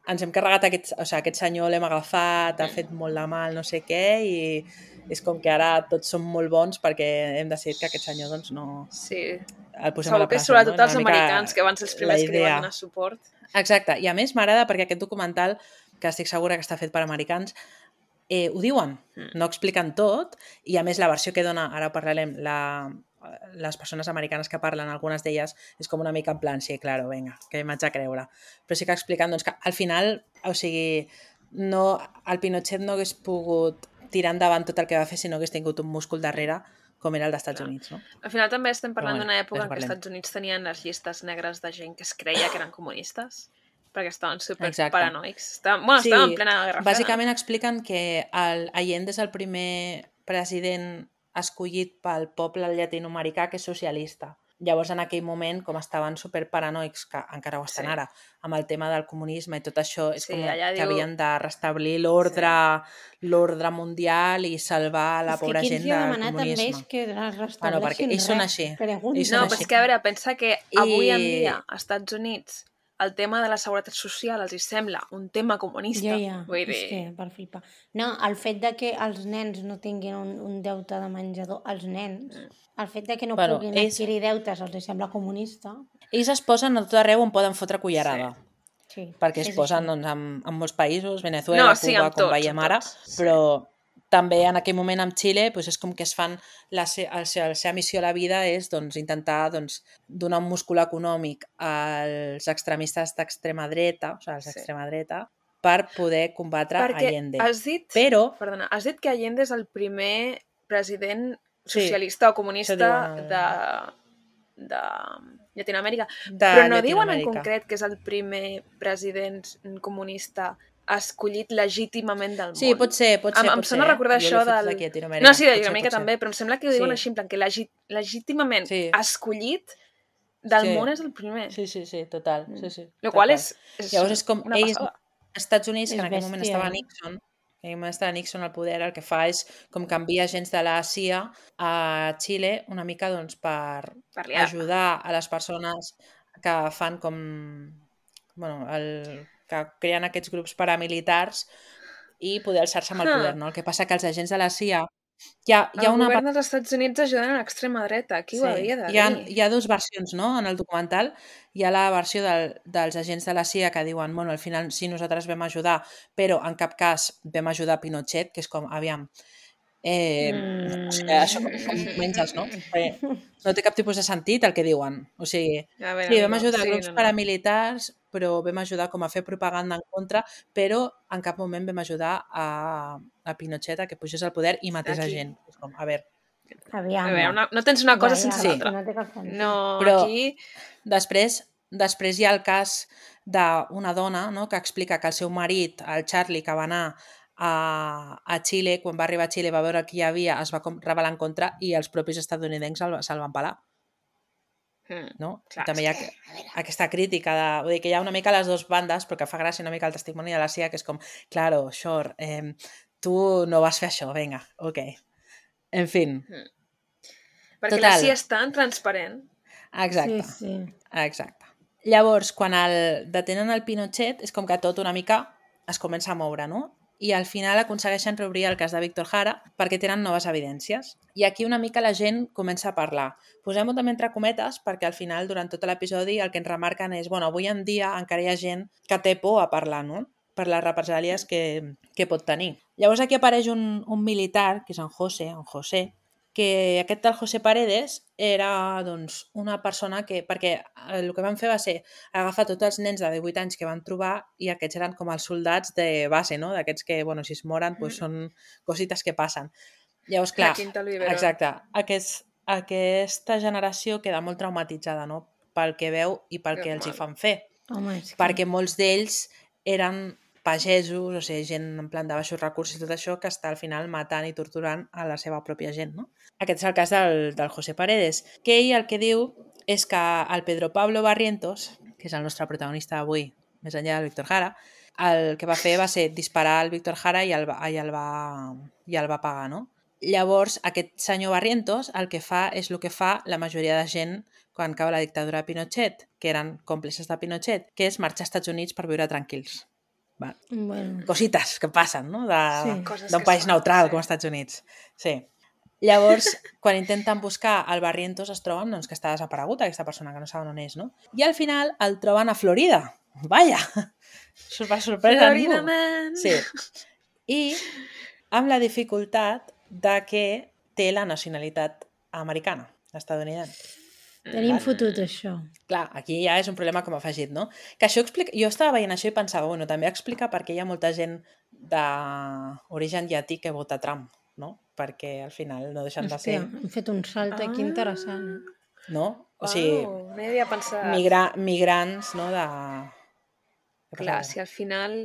Speaker 3: Ens hem carregat aquest, o sigui, aquest senyor, l'hem agafat, ha fet molt de mal, no sé què, i és com que ara tots som molt bons perquè hem decidit que aquest senyor doncs no...
Speaker 1: Sí.
Speaker 3: El posem
Speaker 1: Segur
Speaker 3: a la
Speaker 1: que
Speaker 3: presó,
Speaker 1: sobretot
Speaker 3: no?
Speaker 1: els
Speaker 3: Una mica
Speaker 1: americans, que van ser els primers que li van donar suport.
Speaker 3: Exacte, i a més m'agrada perquè aquest documental, que estic segura que està fet per americans, eh, ho diuen,
Speaker 1: Mm.
Speaker 3: no expliquen tot, i a més la versió que dona, ara parlarem, la, les persones americanes que parlen, algunes d'elles, és com una mica en plan, sí, claro, venga, que m'haig de creure. Però sí que expliquen doncs, que al final, o sigui, no, el Pinochet no hagués pogut tirar endavant tot el que va fer si no hagués tingut un múscul darrere com era el dels Estats
Speaker 1: Clar.
Speaker 3: Units, no?
Speaker 1: Al final també estem parlant
Speaker 3: bueno,
Speaker 1: d'una època
Speaker 3: d'això
Speaker 1: en què els
Speaker 3: parlem.
Speaker 1: Estats Units tenien les llistes negres de gent que es creia que eren comunistes, perquè estaven super
Speaker 3: Exacte.
Speaker 1: paranoics. Estaven, bueno,
Speaker 3: Sí,
Speaker 1: estaven en plena guerra freda.
Speaker 3: bàsicament expliquen que el Allende és el primer president escollit pel poble llatinoamericà que és socialista. Llavors, en aquell moment, com estaven superparanoics, que encara ho estan
Speaker 1: Sí.
Speaker 3: ara, amb el tema del comunisme i tot això, és
Speaker 1: Sí,
Speaker 3: com
Speaker 1: allà
Speaker 3: que
Speaker 1: diu-
Speaker 3: havien de restablir l'ordre l'ordre mundial i salvar la
Speaker 2: És que
Speaker 3: pobra
Speaker 2: qui
Speaker 3: gent
Speaker 2: ens hi ha
Speaker 3: del
Speaker 2: demanat
Speaker 3: comunisme.
Speaker 2: també és que
Speaker 3: Bueno,
Speaker 2: restableixin
Speaker 3: perquè ells són
Speaker 2: res.
Speaker 3: així.
Speaker 2: Pregunta.
Speaker 3: Ells són
Speaker 1: No,
Speaker 3: així.
Speaker 1: però és que, a veure, pensa que avui en
Speaker 3: I-
Speaker 1: dia, als Estats Units, el tema de la seguretat social els hi sembla un tema comunista.
Speaker 2: Ja, ja,
Speaker 1: Vull dir...
Speaker 2: és que per flipar. No, el fet de que els nens no tinguin un, un deute de menjador, els nens, el fet de que no
Speaker 3: Bueno,
Speaker 2: puguin
Speaker 3: ells-
Speaker 2: adquirir deutes els hi sembla comunista.
Speaker 3: Ells es posen a tot arreu on poden fotre cullerada.
Speaker 2: Sí,
Speaker 3: Perquè es
Speaker 2: és
Speaker 3: posen
Speaker 2: així.
Speaker 3: doncs, en, en molts països, Venezuela,
Speaker 1: No, sí,
Speaker 3: Cuba,
Speaker 1: amb
Speaker 3: com
Speaker 1: tots,
Speaker 3: veiem
Speaker 1: amb
Speaker 3: ara,
Speaker 1: tots, sí.
Speaker 3: però també en aquell moment amb Xile doncs, és com que es fan la, se la, se la seva missió a la vida és doncs, intentar doncs, donar un múscul econòmic als extremistes d'extrema dreta, o sigui, als
Speaker 1: Sí.
Speaker 3: d'extrema dreta, per poder combatre
Speaker 1: Perquè
Speaker 3: Allende.
Speaker 1: has dit,
Speaker 3: Però,
Speaker 1: perdona, has dit que Allende és el primer president
Speaker 3: Sí,
Speaker 1: socialista o
Speaker 3: això
Speaker 1: comunista
Speaker 3: diuen el-
Speaker 1: de, de Llatinoamèrica.
Speaker 3: de
Speaker 1: Però no diuen en
Speaker 3: Llatinoamèrica.
Speaker 1: concret que és el primer president comunista escollit legítimament del món.
Speaker 3: Sí, pot ser, pot ser,
Speaker 1: Em,
Speaker 3: pot
Speaker 1: em sona
Speaker 3: ser.
Speaker 1: recordar
Speaker 3: Jo
Speaker 1: això
Speaker 3: l'he fotut
Speaker 1: del...
Speaker 3: aquí a Llatinoamèrica.
Speaker 1: No, sí, de
Speaker 3: Pot ser,
Speaker 1: Llatinoamèrica
Speaker 3: pot ser.
Speaker 1: també, però em sembla que ho diuen
Speaker 3: Sí.
Speaker 1: així, en plan que legi legítimament
Speaker 3: Sí.
Speaker 1: escollit del
Speaker 3: Sí.
Speaker 1: món és el primer.
Speaker 3: Sí, sí, sí, total. Sí, sí,
Speaker 1: Lo
Speaker 3: tal
Speaker 1: qual
Speaker 3: qual.
Speaker 1: és, és
Speaker 3: Llavors és com
Speaker 1: una
Speaker 3: ells,
Speaker 1: passada.
Speaker 3: als Estats Units, que
Speaker 2: És
Speaker 3: en aquell moment
Speaker 2: bèstia,
Speaker 3: estava
Speaker 2: eh?
Speaker 3: Nixon, en aquell moment estava Nixon al poder, el que fa és com canvia agents de la C I A a Xile una mica doncs, per
Speaker 1: Per liar.
Speaker 3: ajudar a les persones que fan com... Bueno, el, que creen aquests grups paramilitars i poder alçar-se amb el
Speaker 1: Ah.
Speaker 3: poder, no? El que passa que els agents de la C I A hi ha, hi ha
Speaker 1: El
Speaker 3: una
Speaker 1: govern dels Estats Units ajudant a l'extrema dreta. Qui ho havia de
Speaker 3: hi ha,
Speaker 1: dir?
Speaker 3: hi ha dues versions, no? En el documental hi ha la versió del, dels agents de la C I A que diuen, bueno, al final sí, nosaltres vam ajudar, però en cap cas vam ajudar Pinochet, que és com, aviam, eh,
Speaker 2: Mm.
Speaker 3: o sigui, això com, com menges, no? Perquè no té cap tipus de sentit el que diuen. O sigui,
Speaker 1: A veure,
Speaker 3: sí, vam
Speaker 1: no,
Speaker 3: ajudar
Speaker 1: sí,
Speaker 3: grups
Speaker 1: no, no.
Speaker 3: paramilitars, però vam ajudar com a fer propaganda en contra, però en cap moment vam ajudar a, a Pinochet a que pugés al poder i matés a
Speaker 1: Aquí.
Speaker 3: gent. És com, a veure,
Speaker 2: Aviam.
Speaker 1: A veure, una, no tens una cosa
Speaker 2: Ja,
Speaker 1: sense
Speaker 2: ja,
Speaker 1: l'altra.
Speaker 2: No té cap sentit.
Speaker 1: No,
Speaker 3: Però-
Speaker 1: aquí...
Speaker 3: Després, després hi ha el cas d'una dona, no?, que explica que el seu marit, el Charlie, que va anar a, a Xile, quan va arribar a Xile va veure qui hi havia, es va rebel·lar en contra i els propis estatunidencs se'l, se'l van pelar.
Speaker 1: Mm,
Speaker 3: No?
Speaker 1: clar,
Speaker 3: També hi ha aquesta crítica de, vull dir, que hi ha una mica les dues bandes, però que fa gràcia una mica el testimoni de la C I A, que és com, claro, Shore, eh, tu no vas fer això, vinga, ok. En fi.
Speaker 1: Mm. Perquè
Speaker 3: Total.
Speaker 1: la C I A és tan transparent.
Speaker 3: Exacte.
Speaker 2: Sí, sí.
Speaker 3: Exacte. Llavors, quan el detenen el Pinochet, és com que tot una mica es comença a moure, no? I al final aconsegueixen reobrir el cas de Víctor Jara perquè tenen noves evidències. I aquí una mica la gent comença a parlar. Posem-ho també entre cometes perquè al final, durant tot l'episodi, el que ens remarquen és, bueno, avui en dia encara hi ha gent que té por a parlar, no? Per les represàlies que, que pot tenir. Llavors aquí apareix un, un militar, que és en José, en José, que aquest tal José Paredes era doncs, una persona que, perquè el que van fer va ser agafar tots els nens de divuit anys que van trobar i aquests eren com els soldats de base, no? D'aquests que, bueno, si es moren, doncs són cosites que passen. Llavors, clar, exacte, aquest, aquesta generació queda molt traumatitzada, no? Pel que veu i pel que els hi fan fer.
Speaker 2: Home, és que...
Speaker 3: Perquè molts d'ells eren pagesos, o sigui, gent en plan de baixos recursos i tot això, que està al final matant i torturant a la seva pròpia gent, no? Aquest és el cas del, del José Paredes, que ell el que diu és que el Pedro Pablo Barrientos, que és el nostre protagonista avui, més enllà del Víctor Jara, el que va fer va ser disparar al Víctor Jara i el, va, i el, va, i el va pagar, no? Llavors, aquest senyor Barrientos el que fa és el que fa la majoria de gent quan cau la dictadura de Pinochet, que eren còmplices de Pinochet, que és marxar als Estats Units per viure tranquils. Va.
Speaker 2: Bueno.
Speaker 3: Cosites que passen, no?
Speaker 2: Sí.
Speaker 3: D'un país neutral com els Estats Units. Sí. Llavors, quan intenten buscar el Barrientos, es troben doncs, que està desaparegut aquesta persona, que no saben on és, no? I al final el troben a Florida. Vaja! Per sorpresa a ningú.
Speaker 1: Man.
Speaker 3: Sí. I amb la dificultat de que té la nacionalitat americana, estadounidense.
Speaker 2: Tenim fotut això.
Speaker 3: Clar, aquí ja és un problema com afegit, no? Que això explica... Jo estava veient això i pensava, bueno, també explica per què hi ha molta gent d'origen llatí que vota Trump, no? Perquè al final no deixen de ser...
Speaker 2: Hòstia, hem fet un salt aquí
Speaker 1: Ah.
Speaker 2: interessant.
Speaker 3: No? O sigui,
Speaker 1: Wow, no hi havia pensat.
Speaker 3: migra... migrants, no? De... Què
Speaker 1: Clar,
Speaker 3: passa?
Speaker 1: si al final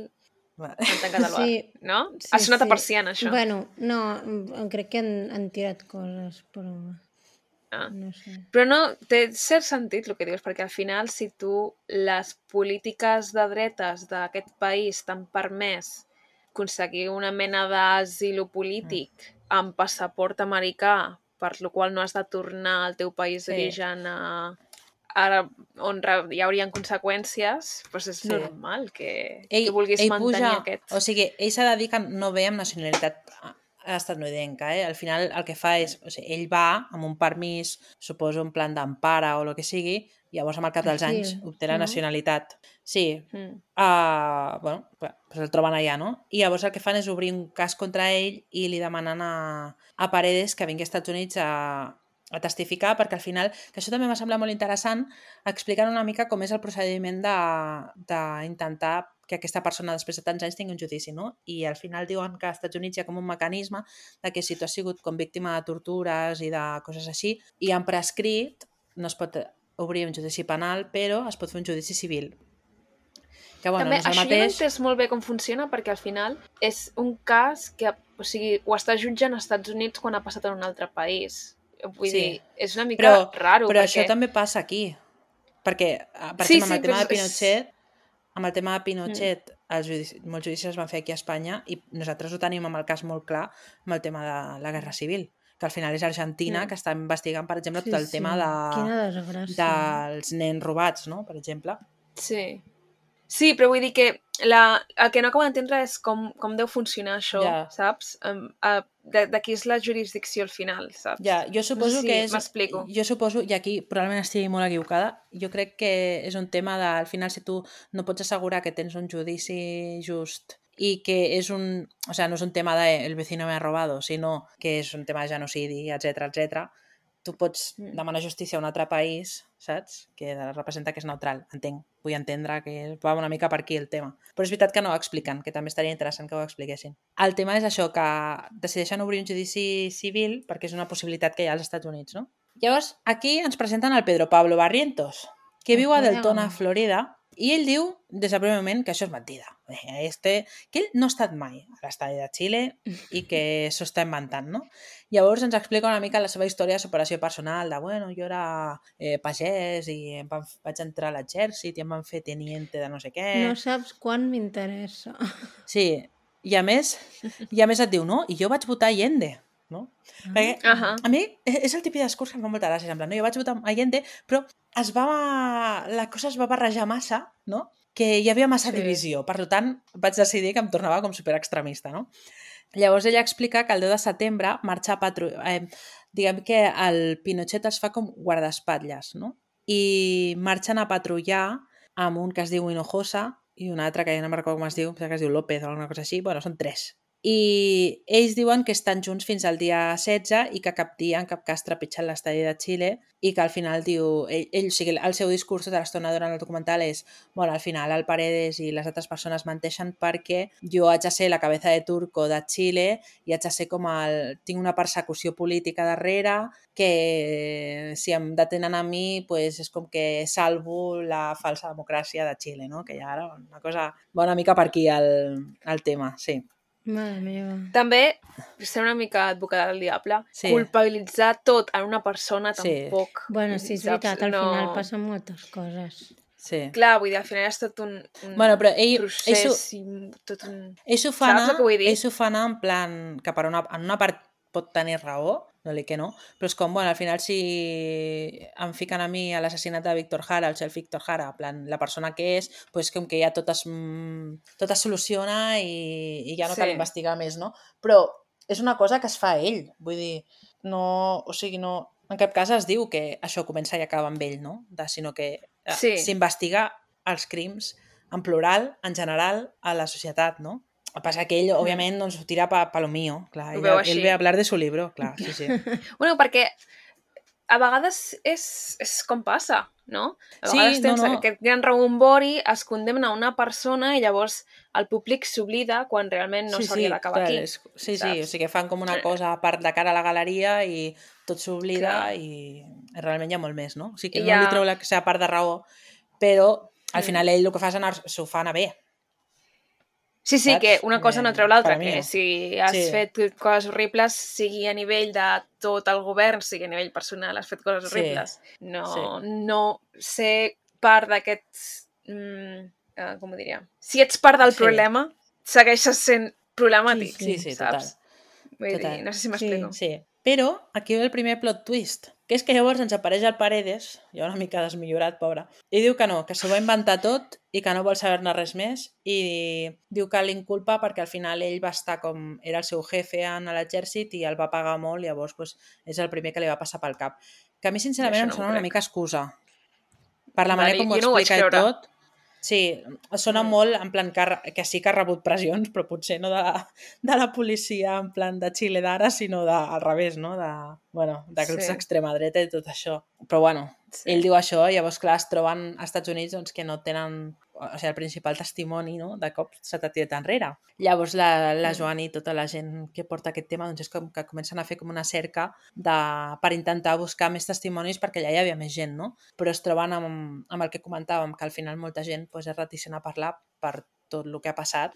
Speaker 3: Va.
Speaker 1: han tancat el bar,
Speaker 2: Sí.
Speaker 1: no?
Speaker 2: Sí,
Speaker 1: Ha sonat
Speaker 2: sí.
Speaker 1: a persiana, això.
Speaker 2: Bueno, no, em- crec que han, han tirat coses, però
Speaker 1: Ah.
Speaker 2: no sé.
Speaker 1: Però no, té cert sentit el que dius, perquè al final, si tu les polítiques de dretes d'aquest país t'han permès aconseguir una mena d'asil polític amb passaport americà, per lo qual no has de tornar al teu país
Speaker 3: Sí.
Speaker 1: d'origen a... ara on re- hi haurien conseqüències, doncs és
Speaker 3: Sí.
Speaker 1: normal que, que vulguis mantenir
Speaker 3: puja,
Speaker 1: aquest...
Speaker 3: O sigui, ell s'ha de dir que no ve amb nacionalitat estatunidenca, eh? Al final el que fa és, o sigui, ell va amb un permís, suposo un plan d'empara o el que sigui, i llavors amb el cap dels
Speaker 2: Asil,
Speaker 3: anys obté la
Speaker 2: no?
Speaker 3: nacionalitat. Sí,
Speaker 1: Mm.
Speaker 3: uh, bueno, pues el troben allà, no? I llavors el que fan és obrir un cas contra ell i li demanen a, a Paredes que vingui als Estats Units a, a testificar, perquè al final, que això també m'ha semblat molt interessant, expliquen una mica com és el procediment d'intentar que aquesta persona després de tants anys tingui un judici, no? I al final diuen que als Estats Units hi ha com un mecanisme de que si tu has sigut com víctima de tortures i de coses així, i han prescrit, no es pot obrir un judici penal, però es pot fer un judici civil. Que, bueno,
Speaker 1: També,
Speaker 3: no és el
Speaker 1: això
Speaker 3: mateix...
Speaker 1: jo no he entès molt bé com funciona, perquè al final és un cas que, o sigui, ho està jutjant als Estats Units quan ha passat en un altre país. Vull
Speaker 3: Sí.
Speaker 1: dir, és una mica
Speaker 3: Però,
Speaker 1: raro.
Speaker 3: però
Speaker 1: perquè...
Speaker 3: això també passa aquí. Perquè, eh, per
Speaker 1: Sí,
Speaker 3: exemple, amb
Speaker 1: sí,
Speaker 3: el tema
Speaker 1: però
Speaker 3: de
Speaker 1: és-
Speaker 3: Pinochet, amb el tema de Pinochet, mm. els judicis, molts judicis es van fer aquí a Espanya i nosaltres ho tenim amb el cas molt clar amb el tema de la Guerra Civil, que al final és Argentina,
Speaker 1: Mm.
Speaker 3: que està investigant, per exemple,
Speaker 2: Sí,
Speaker 3: tot el
Speaker 2: sí.
Speaker 3: tema de,
Speaker 2: Quina desgràcia.
Speaker 3: dels nens robats, no? Per exemple.
Speaker 1: Sí. Sí, però vull dir que la, el que no acabo d'entendre és com, com deu funcionar això,
Speaker 3: Ja.
Speaker 1: saps? Um, uh, de, de qui és la jurisdicció al final, saps?
Speaker 3: Ja, jo suposo
Speaker 1: no sé si
Speaker 3: que és...
Speaker 1: m'explico.
Speaker 3: Jo suposo, i aquí probablement estigui molt equivocada, jo crec que és un tema de, al final, si tu no pots assegurar que tens un judici just i que és un... O sea, no és un tema de el vecino me ha robado, sinó que és un tema de genocidi, etcètera, etcètera. Tu pots
Speaker 1: Mm.
Speaker 3: demanar justícia a un altre país, saps? Que representa que és neutral, entenc. Vull entendre que va una mica per aquí el tema. Però és veritat que no ho expliquen, que també estaria interessant que ho expliquessin. El tema és això, que decideixen obrir un judici civil perquè és una possibilitat que hi ha als Estats Units, no? Llavors, aquí ens presenten el Pedro Pablo Barrientos, que viu a
Speaker 2: Podeu.
Speaker 3: Deltona, Florida, I ell diu, des del primer moment, que això és mentida. Este, que ell no ha estat mai a l'estadi de Xile i que s'ho està inventant, no? Llavors ens explica una mica la seva història de superació personal, de, bueno, jo era eh, pagès i em van, vaig entrar a l'exèrcit i em van fer teniente de no sé què.
Speaker 2: No saps quan m'interessa.
Speaker 3: Sí, i a més, i a més et diu, no? I jo vaig votar Allende, no? Ah. Perquè
Speaker 1: Uh -huh.
Speaker 3: a mi és el típic discurs que em fa molta gràcia, en plan, no? Jo vaig votar Allende, però es va, la cosa es va barrejar massa, no? Que hi havia massa
Speaker 1: Sí.
Speaker 3: divisió. Per tant, vaig decidir que em tornava com superextremista, no? Llavors ella explica que el deu de setembre marxa a patrullar... Eh, diguem que el Pinochet es fa com guardaespatlles, no? I marxen a patrullar amb un que es diu Hinojosa i un altre que ja no me'n recordo com es diu, que es diu López o alguna cosa així. Bueno, són tres. I ells diuen que estan junts fins al dia setze i que cap dia, en cap cas, trepitgen l'estadi de Xile i que al final diu... Ell, ell, o sigui, el seu discurs tota l'estona durant el documental és bueno, al final el Paredes i les altres persones menteixen perquè jo haig de ser la cabeza de turco de Xile i haig de ser com el... Tinc una persecució política darrere que si em detenen a mi pues, és com que salvo la falsa democràcia de Xile, no? Que ja era una cosa... Va una mica per aquí el, el tema, sí.
Speaker 2: Mare meva.
Speaker 1: També, ser una mica advocada del diable,
Speaker 3: Sí.
Speaker 1: culpabilitzar tot en una persona
Speaker 3: Sí.
Speaker 1: tampoc...
Speaker 2: Bueno, sí, és
Speaker 1: saps?
Speaker 2: veritat, al
Speaker 1: No-
Speaker 2: final passen moltes coses.
Speaker 3: Sí.
Speaker 1: Clar, vull dir, al final és tot un, un
Speaker 3: Bueno, però ell-
Speaker 1: procés
Speaker 3: ell s'ho-
Speaker 1: i tot un...
Speaker 3: Ells ho fa
Speaker 1: Saps
Speaker 3: anar,
Speaker 1: el que vull dir?
Speaker 3: ells ho fa anar en plan que per una, en una part pot tenir raó, no dic que no, però és com, bueno, al final si em fiquen a mi a l'assassinat de Víctor Jara, el xef Víctor Jara, en plan, la persona que és, pues com que ja tot es, mm, tot es soluciona i, i ja no
Speaker 1: Sí.
Speaker 3: cal investigar més, no? Però és una cosa que es fa ell, vull dir, no, o sigui, no, en cap cas es diu que això comença i acaba amb ell, no? De, sinó que eh,
Speaker 1: Sí.
Speaker 3: s'investiga els crims en plural, en general, a la societat, no? El que passa que ell, òbviament, doncs, ho tira pa, pa lo mío. Clar,
Speaker 1: Ho
Speaker 3: ell,
Speaker 1: veu
Speaker 3: ell
Speaker 1: així.
Speaker 3: ve a hablar de su libro, clar, sí, sí.
Speaker 1: Bueno, perquè a vegades és, és com passa, no? A
Speaker 3: Sí,
Speaker 1: vegades
Speaker 3: no,
Speaker 1: tens
Speaker 3: no.
Speaker 1: aquest gran rebombori, es condemna una persona i llavors el públic s'oblida quan realment no
Speaker 3: sí,
Speaker 1: s'hauria
Speaker 3: sí,
Speaker 1: d'acabar
Speaker 3: clar,
Speaker 1: aquí.
Speaker 3: és, sí, sí,
Speaker 1: saps?
Speaker 3: o sigui, fan com una cosa a part de cara a la galeria i tot s'oblida
Speaker 1: Clar.
Speaker 3: i realment hi ha molt més, no? O sigui, que
Speaker 1: I
Speaker 3: no li
Speaker 1: ja-
Speaker 3: treu la seva part de raó, però al
Speaker 1: Mm.
Speaker 3: final ell el que fa és anar, s'ho fa anar bé.
Speaker 1: Sí, sí,
Speaker 3: saps?
Speaker 1: que una cosa no
Speaker 3: Eh,
Speaker 1: treu l'altra,
Speaker 3: per mi.
Speaker 1: que si has
Speaker 3: Sí.
Speaker 1: fet coses horribles, sigui a nivell de tot el govern, sigui a nivell personal, has fet coses
Speaker 3: Sí.
Speaker 1: horribles. No,
Speaker 3: Sí.
Speaker 1: no ser part d'aquests... Mm, uh, com ho diria? Si ets part del
Speaker 3: Sí.
Speaker 1: problema, segueixes sent problemàtic,
Speaker 3: Sí, sí, total.
Speaker 1: saps? Vull
Speaker 3: Total.
Speaker 1: dir, no sé si m'explico.
Speaker 3: Sí, però aquí ve el primer plot twist, que és que llavors ens apareix el Paredes, ja una mica desmillorat, pobre, i diu que no, que s'ho va inventar tot i que no vol saber-ne res més i diu que l'inculpa perquè al final ell va estar com... era el seu jefe en l'exèrcit i el va pagar molt, llavors pues, és el primer que li va passar pel cap. Que a mi sincerament
Speaker 1: Això
Speaker 3: em
Speaker 1: no ho
Speaker 3: sona una
Speaker 1: crec.
Speaker 3: mica excusa. Per la
Speaker 1: Vale,
Speaker 3: manera com ho
Speaker 1: jo no ho vaig
Speaker 3: explica i
Speaker 1: creure.
Speaker 3: tot. Sí, sona
Speaker 1: Mm.
Speaker 3: molt en plan que, ha- que sí que ha rebut pressions, però potser no de la, de la policia en plan de Xile d'ara, sinó de, al revés, no? De, bueno, de grups
Speaker 1: Sí.
Speaker 3: d'extrema dreta i tot això. Però bueno,
Speaker 1: Sí.
Speaker 3: ell diu això i llavors, clar, es troben als Estats Units doncs, que no tenen o sigui, el principal testimoni, no? De cop s'ha tirat enrere. Llavors la, la
Speaker 1: Mm.
Speaker 3: Joan i tota la gent que porta aquest tema doncs és com que comencen a fer com una cerca de, per intentar buscar més testimonis perquè allà hi havia més gent, no? Però es troben amb, amb el que comentàvem, que al final molta gent doncs, és reticent a parlar per tot el que ha passat.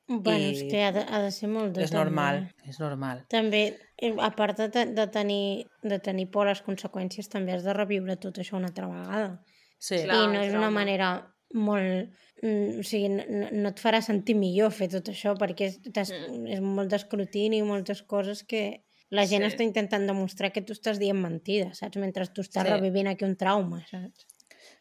Speaker 2: Bueno,
Speaker 3: I
Speaker 2: és que ha de, ha de ser molt dur.
Speaker 3: És normal, és normal.
Speaker 2: També, eh, a part de, te- de, tenir, de tenir por a les conseqüències, també has de reviure tot això una altra vegada.
Speaker 3: Sí,
Speaker 1: Clar.
Speaker 2: I no és una
Speaker 1: trauma.
Speaker 2: manera molt... mm, O sigui, no, no- no et farà sentir millor fer tot això, perquè és, t'has-
Speaker 1: Mm.
Speaker 2: és molt d'escrutini i moltes coses que la gent
Speaker 1: Sí.
Speaker 2: està intentant demostrar que tu estàs dient mentides, saps? Mentre tu estàs
Speaker 3: Sí.
Speaker 2: revivint aquí un trauma, saps?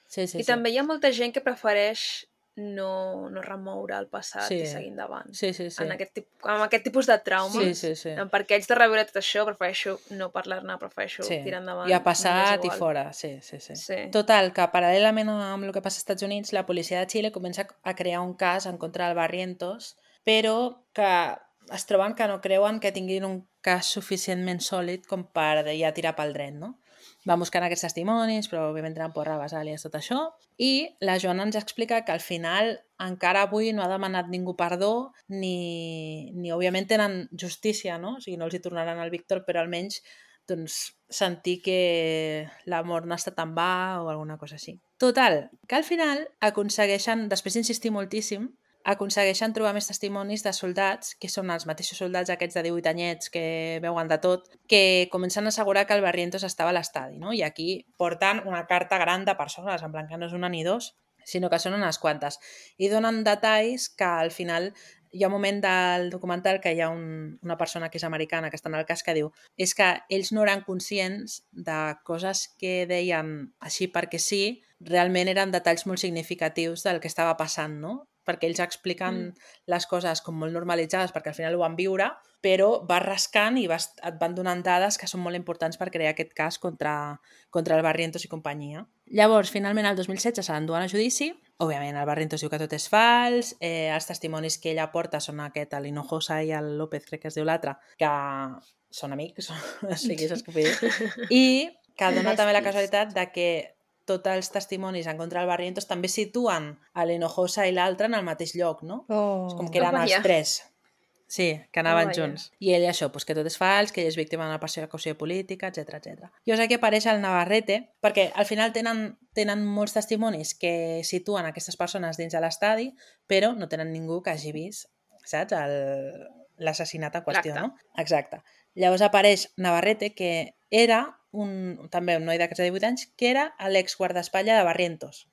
Speaker 3: sí, sí.
Speaker 1: I
Speaker 3: sí.
Speaker 1: també hi ha molta gent que prefereix no, no remoure el passat
Speaker 3: Sí.
Speaker 1: i seguir endavant.
Speaker 3: Sí, sí, sí.
Speaker 1: En aquest, tip, amb aquest tipus de traumes,
Speaker 3: Sí, sí, sí.
Speaker 1: perquè haig de reviure tot això, prefereixo no parlar-ne, prefereixo
Speaker 3: Sí.
Speaker 1: tirar endavant.
Speaker 3: I ha passat
Speaker 1: m'és
Speaker 3: i
Speaker 1: igual.
Speaker 3: fora, sí, sí, sí.
Speaker 1: Sí.
Speaker 3: Total, que paral·lelament amb el que passa als Estats Units, la policia de Xile comença a crear un cas en contra del Barrientos, però que es troben que no creuen que tinguin un cas suficientment sòlid com per ja tirar pel dret, no? Van buscant aquests testimonis, però òbviament tenen por rebassàlies, tot això. I la Joana ens explica que al final encara avui no ha demanat ningú perdó, ni, ni òbviament tenen justícia, no? O sigui, no els hi tornaran al Víctor, però almenys doncs, sentir que l'amor no està tan va o alguna cosa així. Total, que al final aconsegueixen, després d'insistir moltíssim, aconsegueixen trobar més testimonis de soldats, que són els mateixos soldats aquests de divuit anyets que veuen de tot, que comencen a assegurar que el Barrientos estava a l'estadi, no? I aquí porten una carta gran de persones, en plan que no és una ni dos, sinó que són unes quantes. I donen detalls que al final hi ha un moment del documental que hi ha un, una persona que és americana que està en el cas que diu és que ells no eren conscients de coses que deien així perquè sí, realment eren detalls molt significatius del que estava passant, no? Perquè ells expliquen mm. les coses com molt normalitzades perquè al final ho van viure, però vas rascant i vas, et van donant dades que són molt importants per crear aquest cas contra, contra el Barrientos i companyia. Llavors, finalment, el dos mil setze se l'enduen a judici. Òbviament, el Barrientos diu que tot és fals, eh, els testimonis que ella porta són aquest, l'Hinojosa i el López, crec que es diu l'altre, que són amics, o sigui, saps què vull dir? I que dona també la casualitat de que tots els testimonis en contra del Barrientos també situen a l'Hinojosa i l'altre en el mateix lloc, no?
Speaker 2: Oh.
Speaker 3: És com que eren
Speaker 1: Oh,
Speaker 3: els
Speaker 1: vaya.
Speaker 3: tres. Sí, que anaven
Speaker 1: Oh, vaya.
Speaker 3: junts. I ell això, pues, que tot és fals, que ell és víctima d'una persecució política, etcètera etcètera. Llavors aquí apareix el Navarrete, perquè al final tenen, tenen molts testimonis que situen aquestes persones dins de l'estadi, però no tenen ningú que hagi vist, saps, el- l'assassinat en qüestió,
Speaker 1: L'acte.
Speaker 3: no? Exacte. Llavors apareix Navarrete, que era un, també un noi d'aquests de divuit anys, que era l'exguardaespatlla de Barrientos.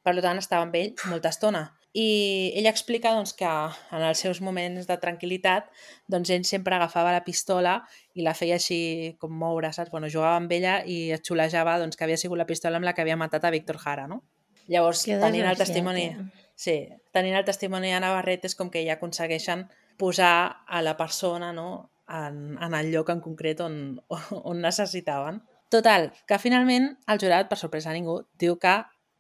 Speaker 3: Per tant, estava amb ell molta estona. I ell explica doncs, que en els seus moments de tranquil·litat doncs, ell sempre agafava la pistola i la feia així com moure, saps? Bueno, jugava amb ella i es xulejava doncs, que havia sigut la pistola amb la que havia matat a Víctor Jara, no? Llavors,
Speaker 2: Que
Speaker 3: tenint el
Speaker 2: desgraciat,
Speaker 3: testimoni...
Speaker 2: eh?
Speaker 3: Sí, tenint el testimoni de Navarrete és com que ja aconsegueixen posar a la persona, no?, en, en el lloc en concret on, on necessitaven. Total, que finalment el jurat, per sorpresa de ningú, diu que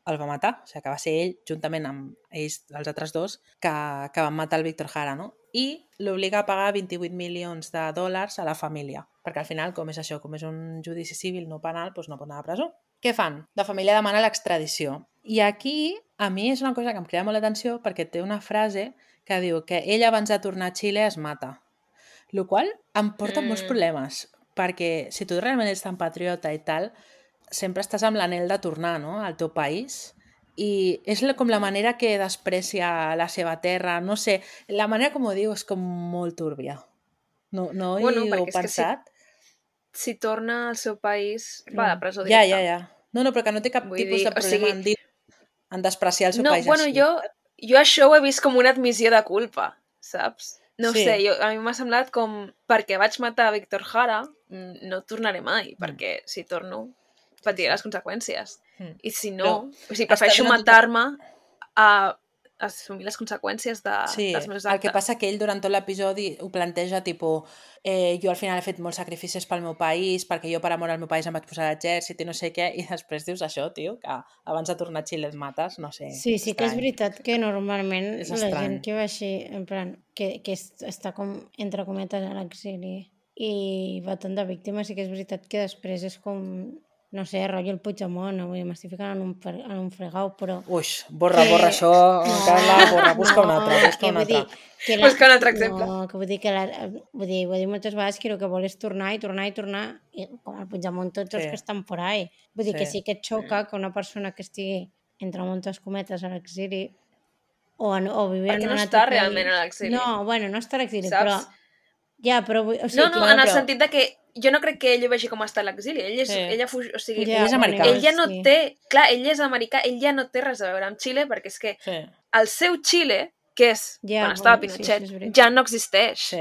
Speaker 3: el va matar, o sigui, que va ser ell, juntament amb ells, els altres dos, que, que van matar el Víctor Jara, no? I l'obliga a pagar vint-i-vuit milions de dòlars a la família, perquè al final, com és això, com és un judici civil no penal, doncs no pot anar a presó. Què fan? La família demana l'extradició. I aquí, a mi és una cosa que em crida molt l'atenció perquè té una frase que diu que ell abans de tornar a Xile es mata. El qual em porta mm. molts problemes, perquè si tu realment ets tan patriota i tal, sempre estàs amb l'anhel de tornar, no?, al teu país, i és com la manera que desprecia la seva terra, no sé, la manera com ho diu és com molt túrbia. No, no
Speaker 1: Bueno,
Speaker 3: hi heu
Speaker 1: perquè és que
Speaker 3: pensat?
Speaker 1: Si, si torna al seu país, va de presó
Speaker 3: Ja,
Speaker 1: directa.
Speaker 3: ja, ja. No, no, però que no té cap
Speaker 1: Vull
Speaker 3: tipus
Speaker 1: dir,
Speaker 3: de
Speaker 1: o
Speaker 3: problema
Speaker 1: sigui,
Speaker 3: en dir en despreciar el seu
Speaker 1: No,
Speaker 3: país
Speaker 1: bueno,
Speaker 3: així.
Speaker 1: jo, jo això ho he vist com una admissió de culpa, saps? No
Speaker 3: Sí.
Speaker 1: sé, jo, a mi m'ha semblat com perquè vaig matar a Víctor Jara, mm, no tornaré mai, perquè si torno patiré les conseqüències.
Speaker 3: Mm.
Speaker 1: I si no,
Speaker 3: Però
Speaker 1: o sigui,
Speaker 3: està
Speaker 1: prefereixo
Speaker 3: donant tota-
Speaker 1: matar-me a assumir les conseqüències de,
Speaker 3: Sí,
Speaker 1: dels meus
Speaker 3: el
Speaker 1: actes.
Speaker 3: que passa que ell durant tot l'episodi ho planteja tipus eh, jo al final he fet molts sacrificis pel meu país, perquè jo per amor al meu país em vaig posar a l'exèrcit i no sé què, i després dius això, tio, que abans de tornar a Xile et mates, no sé.
Speaker 2: Sí, sí que és
Speaker 3: estrany.
Speaker 2: veritat que normalment
Speaker 3: És
Speaker 2: la
Speaker 3: estrany.
Speaker 2: gent que va així, en plan, que, que est- està com, entre cometes, a l'exili i va tant de víctimes, sí que és veritat que després és com, no sé, rotllo el Puigdemont, no? Vull dir, m'estic ficant en un, fre- en un fregau, però...
Speaker 3: Uix, borra,
Speaker 2: que-
Speaker 3: borra això, Carla, borra, busca un altre, busca
Speaker 2: que
Speaker 3: un
Speaker 2: vull
Speaker 3: altre.
Speaker 2: dir que
Speaker 1: Busca un altre exemple.
Speaker 2: No, que vull dir que la, vull dir, ho he dit moltes vegades que el que vol és tornar i tornar i tornar, i com el Puigdemont tots els
Speaker 3: Sí.
Speaker 2: que estan por ahí. Vull dir
Speaker 3: Sí.
Speaker 2: que sí que et xoca que una persona que estigui entre moltes cometes a l'exili o, en, o vivint
Speaker 1: Perquè
Speaker 2: en
Speaker 1: no
Speaker 2: un
Speaker 1: està
Speaker 2: altre
Speaker 1: realment
Speaker 2: país.
Speaker 1: a l'exili.
Speaker 2: No, bueno, no està a l'exili,
Speaker 1: Saps?
Speaker 2: però... Ja, però... vull- O sigui,
Speaker 1: No, no,
Speaker 2: que-
Speaker 1: en el
Speaker 3: però-
Speaker 1: sentit de que jo no crec que ell ho vegi com està a l'exili. Ell és,
Speaker 3: Sí.
Speaker 1: ella fuig, o sigui,
Speaker 2: Ja,
Speaker 3: Ell és
Speaker 2: bueno,
Speaker 3: americà.
Speaker 1: ell ja no
Speaker 2: sí.
Speaker 1: té... Clar, ell és americà, ell ja no té res a veure amb Xile, perquè és que
Speaker 3: Sí,
Speaker 1: el seu Xile, que és
Speaker 2: Ja,
Speaker 1: quan estava
Speaker 2: bueno, sí,
Speaker 1: Pinochet,
Speaker 2: sí, és veritat.
Speaker 1: ja no existeix.
Speaker 3: sí.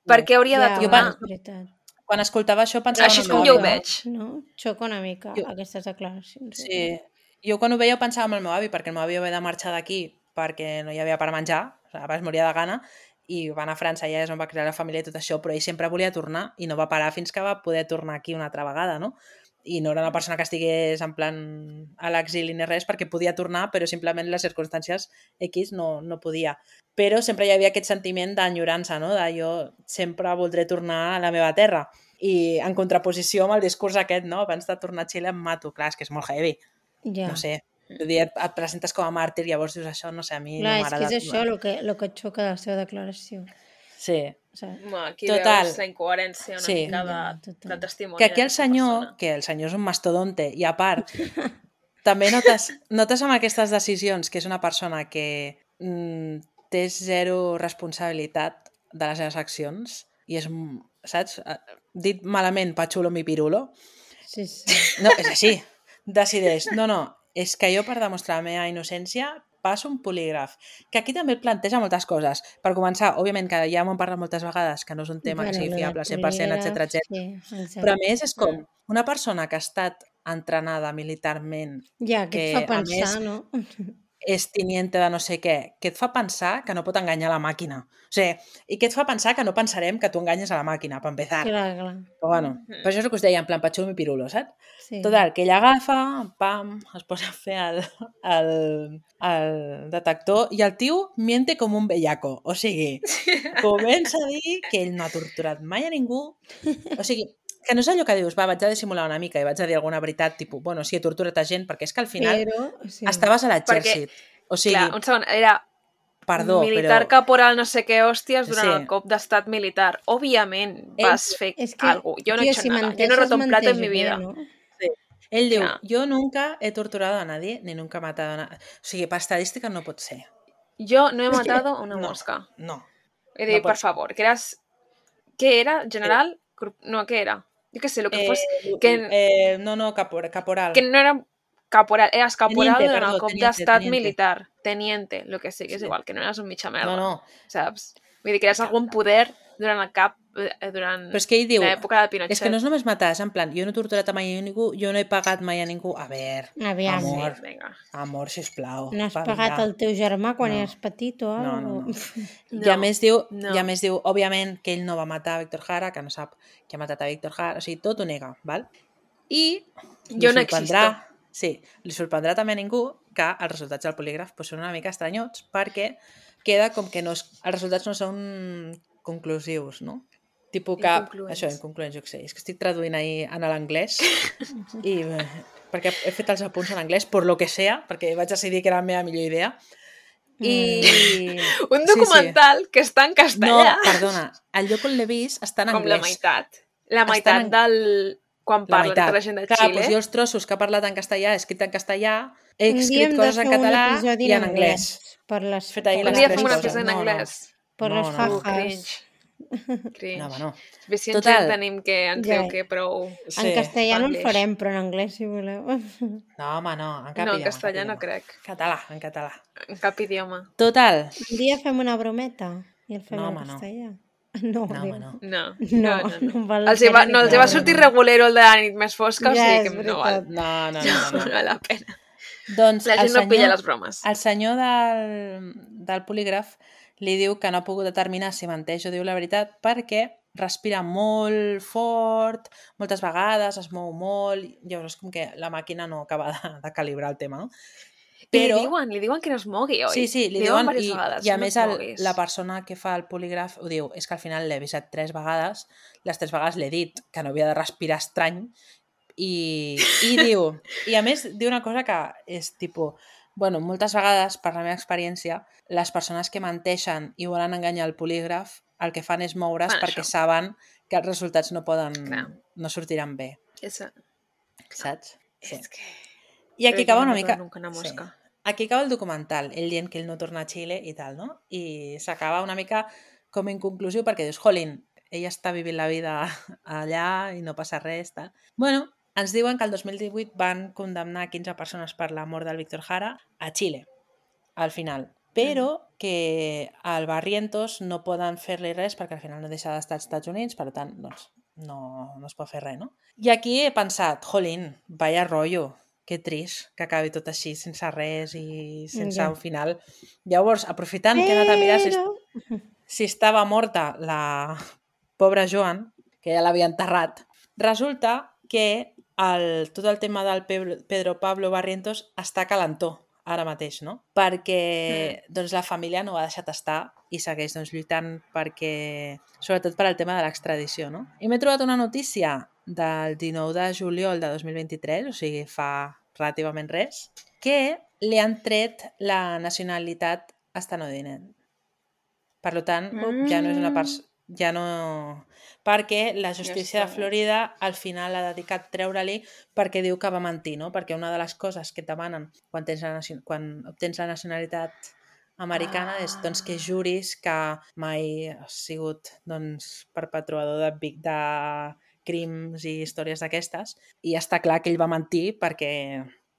Speaker 1: Per què hauria de
Speaker 2: Ja,
Speaker 3: Jo
Speaker 1: tornar?
Speaker 2: bueno, és veritat.
Speaker 3: Quan escoltava això pensava
Speaker 1: Així
Speaker 3: en
Speaker 1: és
Speaker 3: el
Speaker 1: com
Speaker 3: meu
Speaker 1: jo ho
Speaker 3: avi.
Speaker 1: veig.
Speaker 2: No? Xoca una mica
Speaker 3: Jo-
Speaker 2: aquestes declaracions.
Speaker 3: Sí, jo quan ho veia ho pensava en el meu avi, perquè el meu avi va haver de marxar d'aquí perquè no hi havia per menjar, o sigui, es moria de gana, i va anar a França, ja és on va crear la família i tot això, però ell sempre volia tornar i no va parar fins que va poder tornar aquí una altra vegada, no? I no era una persona que estigués en plan a l'exili ni res, perquè podia tornar, però simplement les circumstàncies X no, no podia. Però sempre hi havia aquest sentiment d'enyorança, no? De jo sempre voldré tornar a la meva terra. I en contraposició amb el discurs aquest, no? Abans de tornar a Xile em mato. Clar, és que és molt heavy.
Speaker 2: Ja.
Speaker 3: No sé. Vull dir, et, et presentes com a màrtir, llavors dius això, no sé, a mi
Speaker 2: Clar,
Speaker 3: no
Speaker 2: és que
Speaker 3: m'agrada.
Speaker 2: és això el que, el que et xoca de la seva declaració.
Speaker 3: Sí.
Speaker 2: O sigui,
Speaker 1: Home, aquí
Speaker 3: Total.
Speaker 1: veus la incoherència una
Speaker 3: Sí.
Speaker 1: mica de,
Speaker 2: Ja, total.
Speaker 1: de testimoni.
Speaker 3: Que aquí el
Speaker 1: d'aquesta
Speaker 3: senyor,
Speaker 1: persona.
Speaker 3: que el senyor és un mastodonte, i a part, també notes, notes amb aquestes decisions que és una persona que mm, té zero responsabilitat de les seves accions i és, mm, saps? Dit malament, pachulo mi pirulo.
Speaker 2: Sí, sí.
Speaker 3: No, és així. Decideix, no, no, és que jo per demostrar la meva innocència passo un polígraf. Que aquí també et planteja moltes coses. Per començar, òbviament, que ja m'ho han parlat moltes vegades, que no és un tema que
Speaker 2: Bueno,
Speaker 3: sigui
Speaker 2: lo del
Speaker 3: fiable cent per cent, etcètera,
Speaker 2: polígraf,
Speaker 3: etcètera.
Speaker 2: sí, exacte.
Speaker 3: Però a més és com una persona que ha estat entrenada militarment,
Speaker 2: Ja, que et fa
Speaker 3: que a
Speaker 2: pensar,
Speaker 3: més
Speaker 2: no?
Speaker 3: és teniente de no sé què, que et fa pensar que no pot enganyar la màquina. O sigui, i que et fa pensar que no pensarem que tu enganyes a la màquina, per empezar.
Speaker 2: Clar, clar.
Speaker 3: Però bueno, per això és el que us deia, en plan patxo mi pirulo, saps?
Speaker 2: Sí.
Speaker 3: Total, que ella agafa, pam, es posa a fer el, el, el detector i el tio miente com un bellaco. O sigui, comença a dir que ell no ha torturat mai a ningú. O sigui, que no és allò que dius, va, vaig a dissimular una mica i vaig a dir alguna veritat, tipus, bueno, sí, he torturat a gent, perquè és que al final
Speaker 2: Però, sí.
Speaker 3: estaves a l'exèrcit. O sigui,
Speaker 1: Clar, un segon, era
Speaker 3: perdó,
Speaker 1: militar
Speaker 3: però...
Speaker 1: caporal no sé què hòsties durant
Speaker 3: Sí.
Speaker 1: el cop d'estat militar. Òbviament
Speaker 3: Ell-
Speaker 1: vas fer
Speaker 2: És que,
Speaker 1: algo. Jo no he
Speaker 2: tio,
Speaker 1: hecho
Speaker 2: si
Speaker 1: nada. Yo no he
Speaker 2: menteixes,
Speaker 1: roto un plato en mi
Speaker 2: menteix bé,
Speaker 1: vida.
Speaker 2: no?
Speaker 3: Sí. Ell diu,
Speaker 1: Clar.
Speaker 3: yo nunca he torturado a nadie, ni nunca he matado a nadie. O sigui, per estadística no pot ser.
Speaker 1: Yo no he matado una
Speaker 3: No,
Speaker 1: mosca.
Speaker 3: no.
Speaker 1: He
Speaker 3: no
Speaker 1: dit,
Speaker 3: pot
Speaker 1: per
Speaker 3: ser.
Speaker 1: favor, que eras... ¿Qué era? ¿General? Gru- No, ¿qué era? Yo qué sé, lo que
Speaker 3: Eh,
Speaker 1: fuese... Que,
Speaker 3: eh, no, no, capor, caporal.
Speaker 1: que no era caporal, eras caporal
Speaker 3: Teniente,
Speaker 1: durant el
Speaker 3: perdó,
Speaker 1: cop
Speaker 3: teniente,
Speaker 1: d'estat
Speaker 3: teniente.
Speaker 1: militar. Teniente, lo que sigui, és
Speaker 3: Sí.
Speaker 1: igual, que no eres un mitja merda.
Speaker 3: No, no.
Speaker 1: Saps? Vull dir que eres algun poder durant el cap, eh, durant
Speaker 3: Però és que ell diu,
Speaker 1: l'època de Pinochet.
Speaker 3: és que no és només matar, és en plan, jo no he torturat mai a ningú, jo no he pagat mai a ningú. A veure,
Speaker 2: Aviam.
Speaker 3: amor,
Speaker 1: Sí, vinga.
Speaker 3: amor, sisplau.
Speaker 2: No has
Speaker 3: va,
Speaker 2: pagat
Speaker 3: vinga.
Speaker 2: el teu germà quan
Speaker 3: No.
Speaker 2: eres petit o
Speaker 3: No,
Speaker 2: alguna
Speaker 3: no, no.
Speaker 2: cosa?
Speaker 3: I a
Speaker 1: No,
Speaker 3: més diu,
Speaker 1: no.
Speaker 3: i a més diu, òbviament, que ell no va matar a Víctor Jara, que no sap que ha matat a Víctor Jara, o sigui, tot ho nega, val? I li
Speaker 1: Jo no
Speaker 3: sorprendrà,
Speaker 1: existo.
Speaker 3: sí, li sorprendrà també a ningú que els resultats del polígraf pues, són una mica estranyots perquè queda com que no és, els resultats no són conclusius, no? Tipo que,
Speaker 1: Inconcluents.
Speaker 3: això, inconcluents, jo què sé, és que estic traduint ahir en l'anglès i eh, perquè he fet els apunts en anglès, per lo que sea, perquè vaig decidir que era la meva millor idea. I...
Speaker 1: Un documental que està en
Speaker 3: Sí, sí.
Speaker 1: castellà.
Speaker 3: No, perdona, el lloc on l'he vist està en
Speaker 1: Com la
Speaker 3: anglès.
Speaker 1: meitat. La
Speaker 3: Estan
Speaker 1: meitat
Speaker 3: en-
Speaker 1: del... Quan
Speaker 3: La
Speaker 1: parla
Speaker 3: meitat.
Speaker 1: tota la gent de
Speaker 3: Clar,
Speaker 1: Xile.
Speaker 3: doncs jo els trossos que ha parlat en castellà, he escrit en castellà, he
Speaker 2: Un dia
Speaker 3: escrit
Speaker 2: hem de
Speaker 3: coses en
Speaker 2: fer un
Speaker 3: català
Speaker 2: episodi
Speaker 3: i en anglès.
Speaker 2: Per les,
Speaker 3: Fet ahir
Speaker 2: per
Speaker 1: Un
Speaker 3: les
Speaker 1: dia
Speaker 3: tres
Speaker 1: fem un
Speaker 3: coses.
Speaker 1: episodi en
Speaker 3: No, no.
Speaker 1: anglès.
Speaker 2: Per
Speaker 3: No,
Speaker 2: les
Speaker 3: no.
Speaker 1: Uh,
Speaker 2: jajas.
Speaker 1: cringe. Cringe.
Speaker 3: No, home, no.
Speaker 1: Suficient
Speaker 3: Total.
Speaker 1: gent tenim que ens
Speaker 2: Ja.
Speaker 1: diu que prou...
Speaker 3: Sí.
Speaker 2: En castellà no el
Speaker 1: Spanglish.
Speaker 2: farem, però en anglès, si voleu.
Speaker 3: No, home, no, en cap
Speaker 1: No, en
Speaker 3: idioma.
Speaker 1: castellà
Speaker 3: cap
Speaker 1: no
Speaker 3: idioma.
Speaker 1: crec.
Speaker 3: Català, en català.
Speaker 1: En cap idioma.
Speaker 3: Total.
Speaker 2: Un dia fem una brometa i el fem
Speaker 3: No,
Speaker 2: en
Speaker 3: home, no.
Speaker 2: castellà. No,
Speaker 3: No,
Speaker 2: diu.
Speaker 3: home, no.
Speaker 1: No,
Speaker 2: No,
Speaker 1: no, no. no.
Speaker 2: no val
Speaker 1: Els
Speaker 2: la
Speaker 1: hi va,
Speaker 2: pena ni
Speaker 1: no, els hi
Speaker 3: que
Speaker 1: va
Speaker 3: no,
Speaker 1: sortir
Speaker 3: no, no.
Speaker 1: regulero el de la nit més fosca, o
Speaker 2: Ja,
Speaker 1: sigui
Speaker 2: és
Speaker 1: que no val,
Speaker 2: veritat.
Speaker 3: No, no, no,
Speaker 1: no,
Speaker 3: no. no.
Speaker 1: val la pena.
Speaker 3: Doncs
Speaker 1: La
Speaker 3: el
Speaker 1: gent no pilla
Speaker 3: senyor,
Speaker 1: les bromes.
Speaker 3: el senyor del, del polígraf li diu que no ha pogut determinar si menteix o diu la veritat perquè respira molt fort, moltes vegades, es mou molt, llavors com que la màquina no acaba de, de calibrar el tema, no?
Speaker 1: I li diuen, li diuen que no es mogui, oi?
Speaker 3: Sí, sí, li
Speaker 1: diuen
Speaker 3: diuen,
Speaker 1: diverses
Speaker 3: i,
Speaker 1: vegades,
Speaker 3: i a
Speaker 1: no
Speaker 3: més
Speaker 1: et
Speaker 3: el,
Speaker 1: moguis.
Speaker 3: la persona que fa el polígraf ho diu, és que al final l'he avisat tres vegades, les tres vegades l'he dit que no havia de respirar estrany, i, i diu, i a més diu una cosa que és tipus, bueno, moltes vegades, per la meva experiència, les persones que menteixen i volen enganyar el polígraf, el que fan és moure's
Speaker 1: Fan
Speaker 3: perquè
Speaker 1: això.
Speaker 3: saben que els resultats no poden,
Speaker 1: Clar.
Speaker 3: no sortiran bé,
Speaker 1: Esa...
Speaker 3: saps? Sí.
Speaker 1: És que...
Speaker 3: I aquí
Speaker 1: Però jo
Speaker 3: acaba
Speaker 1: no
Speaker 3: una
Speaker 1: mato
Speaker 3: mica...
Speaker 1: nunca una mosca.
Speaker 3: Sí. Aquí acaba el documental, ell dient que ell no torna a Xile i tal, no? I s'acaba una mica com inconclusiu perquè dius, jolín, ella està vivint la vida allà i no passa res, tal. Bueno, ens diuen que el dos mil divuit van condemnar quinze persones per la mort del Víctor Jara a Xile, al final. Però que al Barrientos no poden fer-li res perquè al final no deixa d'estar als Estats Units, per tant, doncs, no, no es pot fer res, no? I aquí he pensat, jolín, vaya rollo, que trist que acabi tot així, sense res i sense
Speaker 2: Ja.
Speaker 3: un final. Llavors, aprofitant que he anat a mirar si,
Speaker 2: Però...
Speaker 3: si estava morta la pobra Joan, que ja l'havia enterrat, resulta que el, tot el tema del Pe- Pedro Pablo Barrientos està calentó ara mateix, no? Perquè doncs, la família no ho ha deixat estar i segueix doncs, lluitant perquè, sobretot per al tema de l'extradició, no? I m'he trobat una notícia del dinou de juliol de dos mil vint-i-tres, o sigui, fa relativament res, que li han tret la nacionalitat estandounidense. Per tant, mm. ja no és una persona... Ja no... Perquè la justícia de Florida al final ha dedicat treure-li perquè diu que va mentir, no? Perquè una de les coses que et demanen quan, tens la, quan obtens la nacionalitat americana ah. és doncs, que juris que mai has sigut doncs, perpetuador de, de crims i històries d'aquestes, i està clar que ell va mentir perquè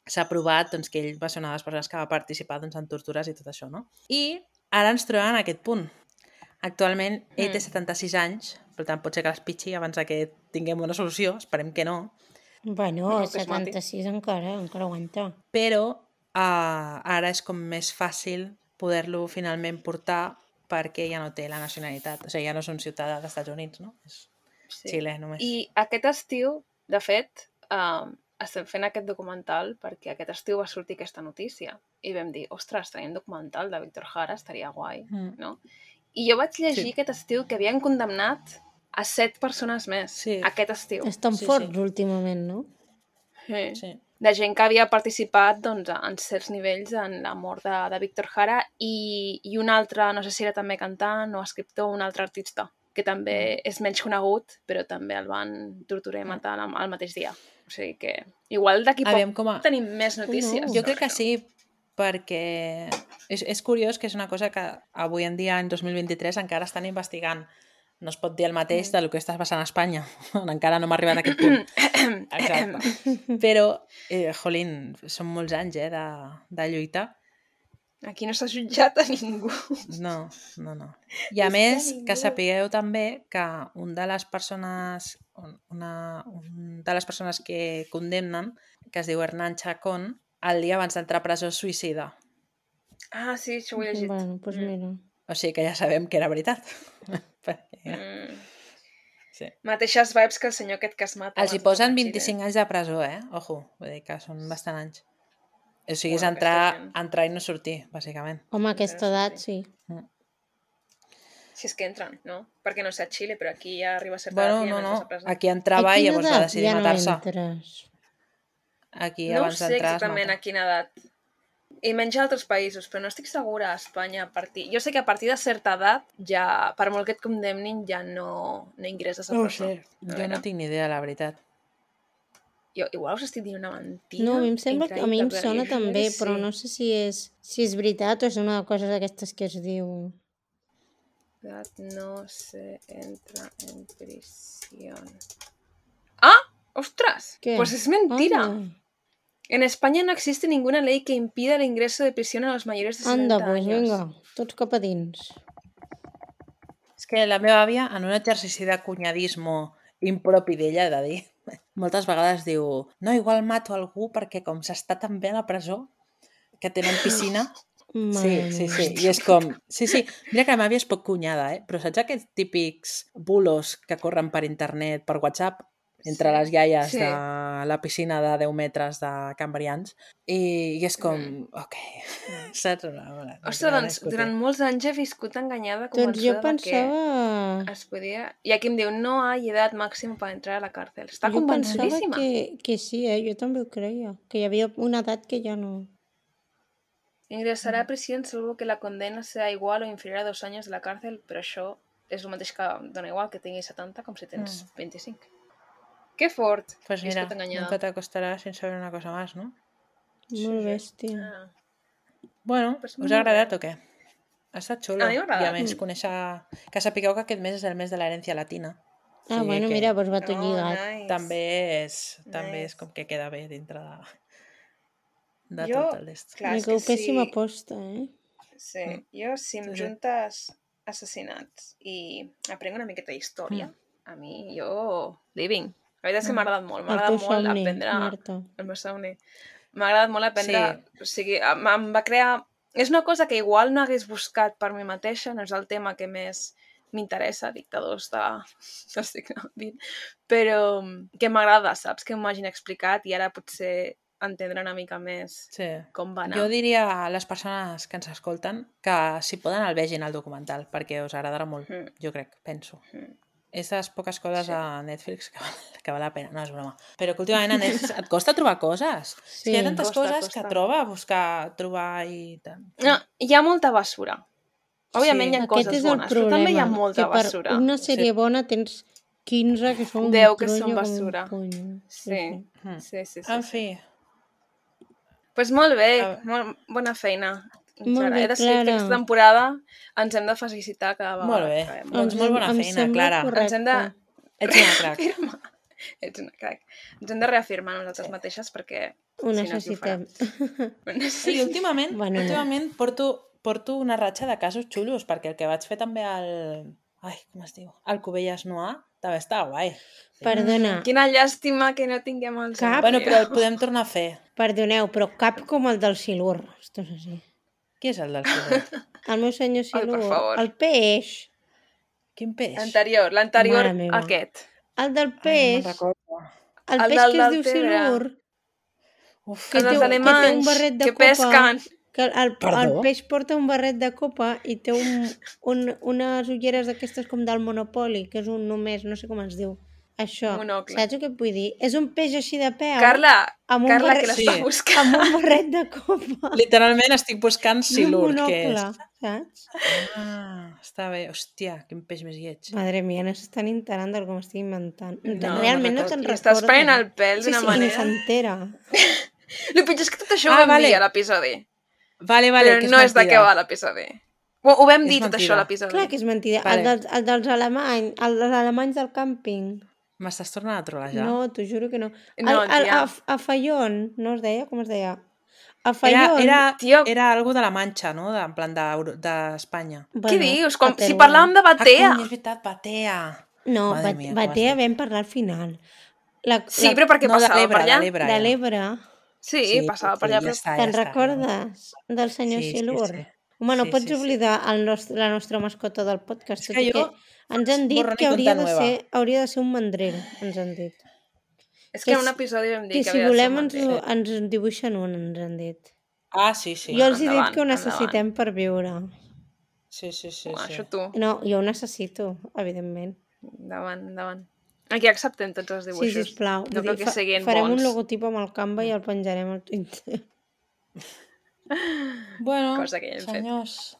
Speaker 3: s'ha provat doncs, que ell va ser una de les persones que va participar doncs, en tortures i tot això, no? I ara ens trobem en aquest punt. Actualment ell té setanta-sis anys, per tant pot ser que les pitxi abans que tinguem una solució, esperem que no.
Speaker 2: Bueno, no, setanta-sis encara, encara aguanta.
Speaker 3: Però uh, ara és com més fàcil poder-lo finalment portar perquè ja no té la nacionalitat, o sigui, ja no és un ciutadà dels Estats Units, no? És sí. Xile només.
Speaker 1: I aquest estiu, de fet, uh, estem fent aquest documental perquè aquest estiu va sortir aquesta notícia i vam dir, ostres, tenim documental de Víctor Jara, estaria guai, mm. no? I jo vaig llegir sí. aquest estiu que havien condemnat a set persones més sí. aquest estiu.
Speaker 2: Estan sí, forts sí. últimament, no?
Speaker 1: Sí. sí. De gent que havia participat doncs, en certs nivells en la mort de, de Víctor Jara i, i un altre, no sé si era també cantant o escriptor, un altre artista, que també mm. és menys conegut, però també el van torturar i matar mm. al mateix dia. O sigui que igual d'aquí poc a... tenim més notícies.
Speaker 3: No. Jo crec que sí, perquè és, és curiós que és una cosa que avui en dia, en dos mil vint-i-tres, encara estan investigant. No es pot dir el mateix del que està passant a Espanya. Encara no hem arribat a aquest punt. Exacte. Però, eh, jolín, són molts anys eh, de, de lluita.
Speaker 1: Aquí no s'ha jutjat a ningú.
Speaker 3: No, no, no. I a és més, que, que sapigueu també que un de les persones una, un de les persones que condemnen, que es diu Hernán Chacón, el dia abans d'entrar a presó suïcida.
Speaker 1: Ah, sí, això ho he llegit.
Speaker 2: Bueno, doncs pues mira.
Speaker 3: O sigui que ja sabem que era veritat. Perquè...
Speaker 1: Mm. Sí. Mateixes vibes que el senyor aquest que es mata.
Speaker 3: Els hi posen vint-i-cinc anys de presó, eh? Ojo, vull dir que són bastant anys. O sigui, és entrar, entrar i no sortir, bàsicament.
Speaker 2: Home, aquesta edat, sí.
Speaker 3: Mm.
Speaker 1: Si és que entren, no? Perquè no sé a Xile, però aquí ja arriba a certa
Speaker 3: bueno,
Speaker 1: edat.
Speaker 3: No, no, no. Aquí entrava i llavors va decidir
Speaker 2: ja
Speaker 3: matar-se.
Speaker 2: No entres?
Speaker 3: Aquí
Speaker 1: no
Speaker 3: abans
Speaker 1: sé
Speaker 3: d'entrar
Speaker 1: exactament a quina edat. I menys a altres països, però no estic segura a Espanya a partir... Jo sé que a partir de certa edat, ja, per molt que et condemnin, ja no, no ingresses a presó.
Speaker 3: No sé, no jo no tinc ni idea, la veritat.
Speaker 1: Jo igual us estic dient una mentida.
Speaker 2: No, a mi em sembla que a mi em sona també, sí. Però no sé si és, si és veritat o és una cosa d'aquestes que es diu...
Speaker 1: No se entra en prisión. ¡Ah! ¡Ostras! ¿Qué? Pues es mentira. Ah. En España no existe ninguna ley que impida el ingreso de prisión a los mayores de setenta
Speaker 2: Anda, pues
Speaker 1: años.
Speaker 2: vinga, tots cap a dins.
Speaker 3: És que la meva àvia, en un exercici de cunyadisme impropi d'ella, he de dir, moltes vegades diu, no, igual mato algú perquè com s'està tan bé a la presó, que tenen piscina... Sí, sí, sí, i és com... Sí, sí, mira que la meva àvia és poc cunyada, eh? Però saps aquests típics bulos que corren per internet, per WhatsApp, entre sí. les iaies sí. de la piscina de deu metres de Cambrians, i, i és com, mm. ok, saps?
Speaker 1: Ostres, doncs, durant molts anys he viscut enganyada,
Speaker 2: convençuda doncs jo pensava...
Speaker 1: que es podia... I aquí em diu, no hi ha edat màxima per entrar a la càrcel. Està jo convençudíssima.
Speaker 2: Jo pensava que, que sí, eh? Jo també ho creia, que hi havia una edat que ja no...
Speaker 1: Ingresarà a prisión salvo que la condena sea igual o inferior a dos anys de la càrcel, però això és el mateix que dona igual que tinguis setanta com si tens mm. vint-i-cinc. Que fort.
Speaker 3: Pues mira, nunca te acostarás sin saber una cosa más, ¿no?
Speaker 2: Molt bèstia.
Speaker 3: Ah. Bueno, pues us ha agradat o què? Ha estat xulo.
Speaker 1: A mi m'ha agradat.
Speaker 3: I a més, conèixer... Que sapigueu que aquest mes és el mes de l'herència latina.
Speaker 2: Ah, sí, bueno, que... mira, doncs va tot
Speaker 1: oh,
Speaker 2: lligat.
Speaker 1: Nice.
Speaker 3: També és, també nice. És com que queda bé dintre de, de
Speaker 1: jo,
Speaker 3: tot el d'est.
Speaker 2: Clar, és que pèssima sí. Aposta, eh?
Speaker 1: Sí, mm. jo si em sí, juntes assassinats i aprenc una miqueta d'història, mm. a mi, jo, living. La veritat és que m'ha agradat molt. M'ha agradat molt somni, aprendre... Marta. El meu somni. M'ha agradat molt aprendre... Sí. O sigui, em va crear... És una cosa que igual no hagués buscat per mi mateixa, no és el tema que més m'interessa, dictadors de... No estic dient. Però que m'agrada, saps? Que m'ho hagin explicat i ara potser entendre una mica més
Speaker 3: sí.
Speaker 1: com va anar.
Speaker 3: Jo diria a les persones que ens escolten que si poden el vegin al documental, perquè us agradarà molt, mm. jo crec, penso. Mm. És de les poques coses sí. a Netflix que val, que val la pena, no és broma. Però que últimament a Netflix et costa trobar coses. Sí, hi ha tantes costa, coses costa. Que troba, buscar, trobar i tant.
Speaker 1: No, hi ha molta basura. Òbviament
Speaker 3: Sí.
Speaker 1: hi ha
Speaker 2: Aquest
Speaker 1: coses
Speaker 2: és el
Speaker 1: bones, però també hi ha
Speaker 2: problema,
Speaker 1: molta
Speaker 2: que per
Speaker 1: basura.
Speaker 2: una sèrie bona tens quinze que són un
Speaker 1: Deu que són
Speaker 2: trollo com un
Speaker 1: basura.
Speaker 2: puny.
Speaker 1: Sí,
Speaker 3: Mm.
Speaker 1: sí, sí. sí,
Speaker 3: En
Speaker 1: sí.
Speaker 3: fi,
Speaker 1: Pues molt bé,
Speaker 3: A-
Speaker 1: molt bona feina.
Speaker 2: Molt
Speaker 1: Clara.
Speaker 2: bé,
Speaker 1: He decidit que
Speaker 2: Clara.
Speaker 1: aquesta temporada ens hem de felicitar cada vegada.
Speaker 3: molt bé.
Speaker 1: que acabem.
Speaker 3: Doncs
Speaker 2: Ens
Speaker 3: molt
Speaker 2: hem-
Speaker 3: bona
Speaker 2: em
Speaker 3: feina,
Speaker 2: sembla
Speaker 3: Clara.
Speaker 2: correcte.
Speaker 1: Ens hem de
Speaker 3: Ets una crac.
Speaker 1: reafirmar. Ets una crac. Ens hem de reafirmar nosaltres
Speaker 3: Sí.
Speaker 1: mateixes perquè
Speaker 2: Ho
Speaker 1: si no, qui ho farà?
Speaker 2: necessitem.
Speaker 1: Ho
Speaker 3: I
Speaker 1: necessitem.
Speaker 3: últimament,
Speaker 2: Bueno, no.
Speaker 3: últimament porto, porto una ratxa de casos xulos, perquè el que vaig fer també al... Ai, com es diu? Al Cubelles Noir també estava guai.
Speaker 2: Perdona,
Speaker 1: Quina llàstima que no tinguem els...
Speaker 2: Cap.
Speaker 3: Bueno, però el podem tornar a fer.
Speaker 2: perdoneu, però cap com el del Silur. Esto és així.
Speaker 3: Qui és el del Silur?
Speaker 2: El meu senyor
Speaker 1: Ai, per
Speaker 2: Silur.
Speaker 1: favor.
Speaker 2: El peix.
Speaker 3: Quin peix?
Speaker 1: L'anterior, l'anterior
Speaker 2: Mare meva.
Speaker 1: aquest.
Speaker 2: El del
Speaker 3: Ai, no
Speaker 2: peix.
Speaker 3: me'n recordo.
Speaker 2: El
Speaker 1: El
Speaker 2: peix
Speaker 1: del
Speaker 2: que es diu
Speaker 1: Deltebre.
Speaker 2: Silur.
Speaker 3: Uf,
Speaker 2: Que
Speaker 1: Els
Speaker 2: té, que té
Speaker 1: alemanys
Speaker 2: un barret de
Speaker 1: que
Speaker 2: copa.
Speaker 1: pesquen.
Speaker 2: Que el, el
Speaker 3: Perdó?
Speaker 2: peix porta un barret de copa i té un, un, unes ulleres d'aquestes com del Monopoly, que és un només, no sé com es diu. Això,
Speaker 1: Monocle.
Speaker 2: saps el que et vull dir? És un peix així de peu,
Speaker 1: Carla,
Speaker 2: amb un
Speaker 1: Carla,
Speaker 2: barret-
Speaker 1: que l'està
Speaker 3: Sí.
Speaker 1: buscant.
Speaker 2: amb un barret de copa.
Speaker 3: Literalment estic buscant
Speaker 2: I un
Speaker 3: Silur, què és?
Speaker 2: monocle, saps?
Speaker 3: Ah, està bé. Hòstia, quin peix més lleig.
Speaker 2: Madre mia, no s'estan enterant del que m'estic inventant.
Speaker 1: No,
Speaker 2: Realment
Speaker 3: no
Speaker 2: no te'n
Speaker 1: Li
Speaker 2: recordes.
Speaker 1: estàs prenent el pèl
Speaker 2: Sí,
Speaker 1: d'una
Speaker 2: sí, i ni
Speaker 1: manera.
Speaker 2: s'entera.
Speaker 1: El pitjor és que tot això
Speaker 3: Ah,
Speaker 1: ho vam
Speaker 3: vale.
Speaker 1: dir a l'episodi.
Speaker 3: Vale, vale,
Speaker 1: Però
Speaker 3: que és
Speaker 1: no és de què
Speaker 3: mentida.
Speaker 1: va l'episodi. Ho, ho vam
Speaker 3: És
Speaker 1: dir tot
Speaker 3: mentida.
Speaker 1: això a l'episodi.
Speaker 2: Clar que és mentida.
Speaker 3: Vale.
Speaker 2: El, dels, el dels alemanys, el dels alemanys del càmping.
Speaker 3: M'estàs tornant a trolejar?
Speaker 2: No, t'ho juro que no.
Speaker 1: No,
Speaker 2: el, el,
Speaker 1: tia.
Speaker 2: a, a Fallon, no es deia? Com es deia? A
Speaker 3: Era,
Speaker 2: Fallon...
Speaker 3: era,
Speaker 1: Tio.
Speaker 3: era algo de la Manxa, no? De, en plan d'Euro- d'Espanya. De,
Speaker 1: Què dius? Com,
Speaker 2: a
Speaker 1: si
Speaker 2: Teruel.
Speaker 1: parlàvem de
Speaker 3: ah,
Speaker 1: Batea.
Speaker 3: cony, és veritat, Batea.
Speaker 2: No,
Speaker 3: Madre
Speaker 2: Bat-
Speaker 3: mia, com
Speaker 2: Batea
Speaker 3: estic.
Speaker 2: vam parlar al final. La,
Speaker 1: Sí,
Speaker 2: la,
Speaker 1: però perquè
Speaker 3: no, de
Speaker 1: passava
Speaker 3: l'Ebre,
Speaker 1: per allà.
Speaker 3: de l'Ebre.
Speaker 2: de
Speaker 3: ja.
Speaker 2: l'Ebre.
Speaker 1: Sí,
Speaker 3: Sí,
Speaker 1: passava per
Speaker 3: sí,
Speaker 1: allà.
Speaker 3: ja
Speaker 1: Però...
Speaker 3: està, ja
Speaker 2: Te'n
Speaker 3: està.
Speaker 2: recordes del senyor
Speaker 3: Sí, sí,
Speaker 2: Silur?
Speaker 3: sí.
Speaker 2: Home, no
Speaker 3: Sí,
Speaker 2: pots
Speaker 3: sí, sí.
Speaker 2: oblidar el nostre, la nostra mascota del podcast,
Speaker 3: És
Speaker 2: tot
Speaker 3: que
Speaker 2: i
Speaker 3: jo-
Speaker 2: que ens han dit
Speaker 3: borrón y
Speaker 2: que hauria
Speaker 3: cuenta
Speaker 2: de,
Speaker 3: nueva.
Speaker 2: ser, hauria de ser un mandrero, ens han dit.
Speaker 1: És
Speaker 2: Que
Speaker 1: que en un
Speaker 2: si-
Speaker 1: episodi vam dir
Speaker 2: Que
Speaker 1: que,
Speaker 2: si
Speaker 1: havia de ser
Speaker 2: volem
Speaker 1: un
Speaker 2: ens,
Speaker 1: mandril.
Speaker 2: ens dibuixen un, ens han dit.
Speaker 3: Ah, sí, sí.
Speaker 2: Jo els he dit
Speaker 1: endavant,
Speaker 2: que ho necessitem per viure.
Speaker 3: Sí, sí, sí.
Speaker 1: Uah,
Speaker 3: sí.
Speaker 1: Això tu.
Speaker 2: No, jo ho necessito, evidentment.
Speaker 1: Endavant, endavant. Aquí acceptem tots els
Speaker 2: Sí,
Speaker 1: dibuixos.
Speaker 2: sisplau.
Speaker 1: No
Speaker 2: Vull
Speaker 1: cal
Speaker 2: dir,
Speaker 1: que siguin
Speaker 2: farem
Speaker 1: bons.
Speaker 2: un logotip amb el Canva i el penjarem al Twitter.
Speaker 3: Bueno,
Speaker 1: Cosa que ja hem fet.
Speaker 3: senyors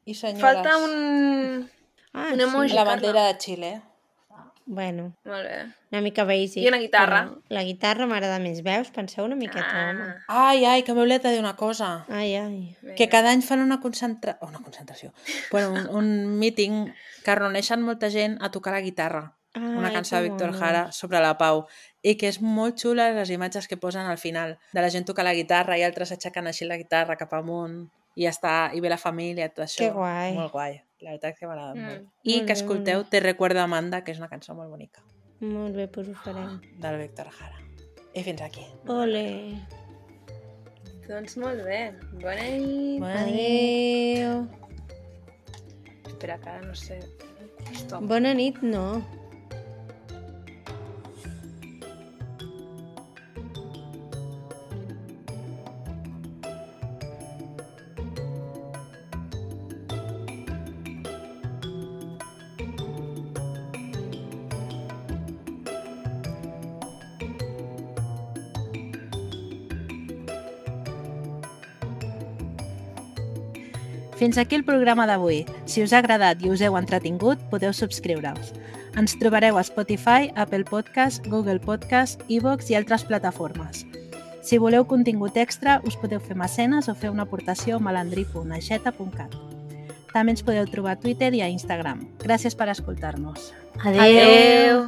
Speaker 3: i senyores.
Speaker 1: Falta un...
Speaker 2: Ah,
Speaker 1: Un emoji.
Speaker 2: sí.
Speaker 3: La
Speaker 1: Carla.
Speaker 3: bandera de Xile.
Speaker 2: Bueno,
Speaker 1: Molt bé.
Speaker 2: una mica basic.
Speaker 1: I una guitarra.
Speaker 2: però La guitarra m'agrada més. Veus? Penseu una miqueta, home.
Speaker 1: Ah,
Speaker 3: Ai, ai, que m'he oblidat de dir una cosa.
Speaker 2: Ai, ai.
Speaker 3: Que cada any fan una concentra... oh, una concentració. Bueno, un, un meeting que reuneixen molta gent a tocar la guitarra. Una
Speaker 2: Ai,
Speaker 3: cançó de
Speaker 2: que
Speaker 3: Víctor
Speaker 2: monos.
Speaker 3: Jara sobre la pau. I que és molt xula les imatges que posen al final. De la gent tocar la guitarra i altres aixecant així la guitarra cap amunt. I ja està, i ve la família, tot això.
Speaker 2: Que guai.
Speaker 3: Molt guai. La veritat és que m'ha agradat
Speaker 1: Mm.
Speaker 3: molt. I
Speaker 2: Molt
Speaker 3: que
Speaker 2: bé,
Speaker 3: escolteu
Speaker 2: molt
Speaker 3: Te recuerdo Amanda, que és una cançó molt bonica.
Speaker 2: Molt bé, doncs ho farem.
Speaker 3: Del Víctor Jara. I fins aquí.
Speaker 2: Ole.
Speaker 1: doncs molt bé. Bona nit.
Speaker 3: Bona nit.
Speaker 2: Adéu.
Speaker 1: Espera, que ara no sé. Stop.
Speaker 2: Bona nit, no.
Speaker 4: Fins aquí el programa d'avui. Si us ha agradat i us heu entretingut, podeu subscriure-us. Ens trobareu a Spotify, Apple Podcast, Google Podcast, iVoox i altres plataformes. Si voleu contingut extra, us podeu fer mecenes o fer una aportació a malandrí punt aixeta punt cat. També ens podeu trobar a Twitter i a Instagram. Gràcies per escoltar-nos.
Speaker 2: Adéu.
Speaker 1: Adéu.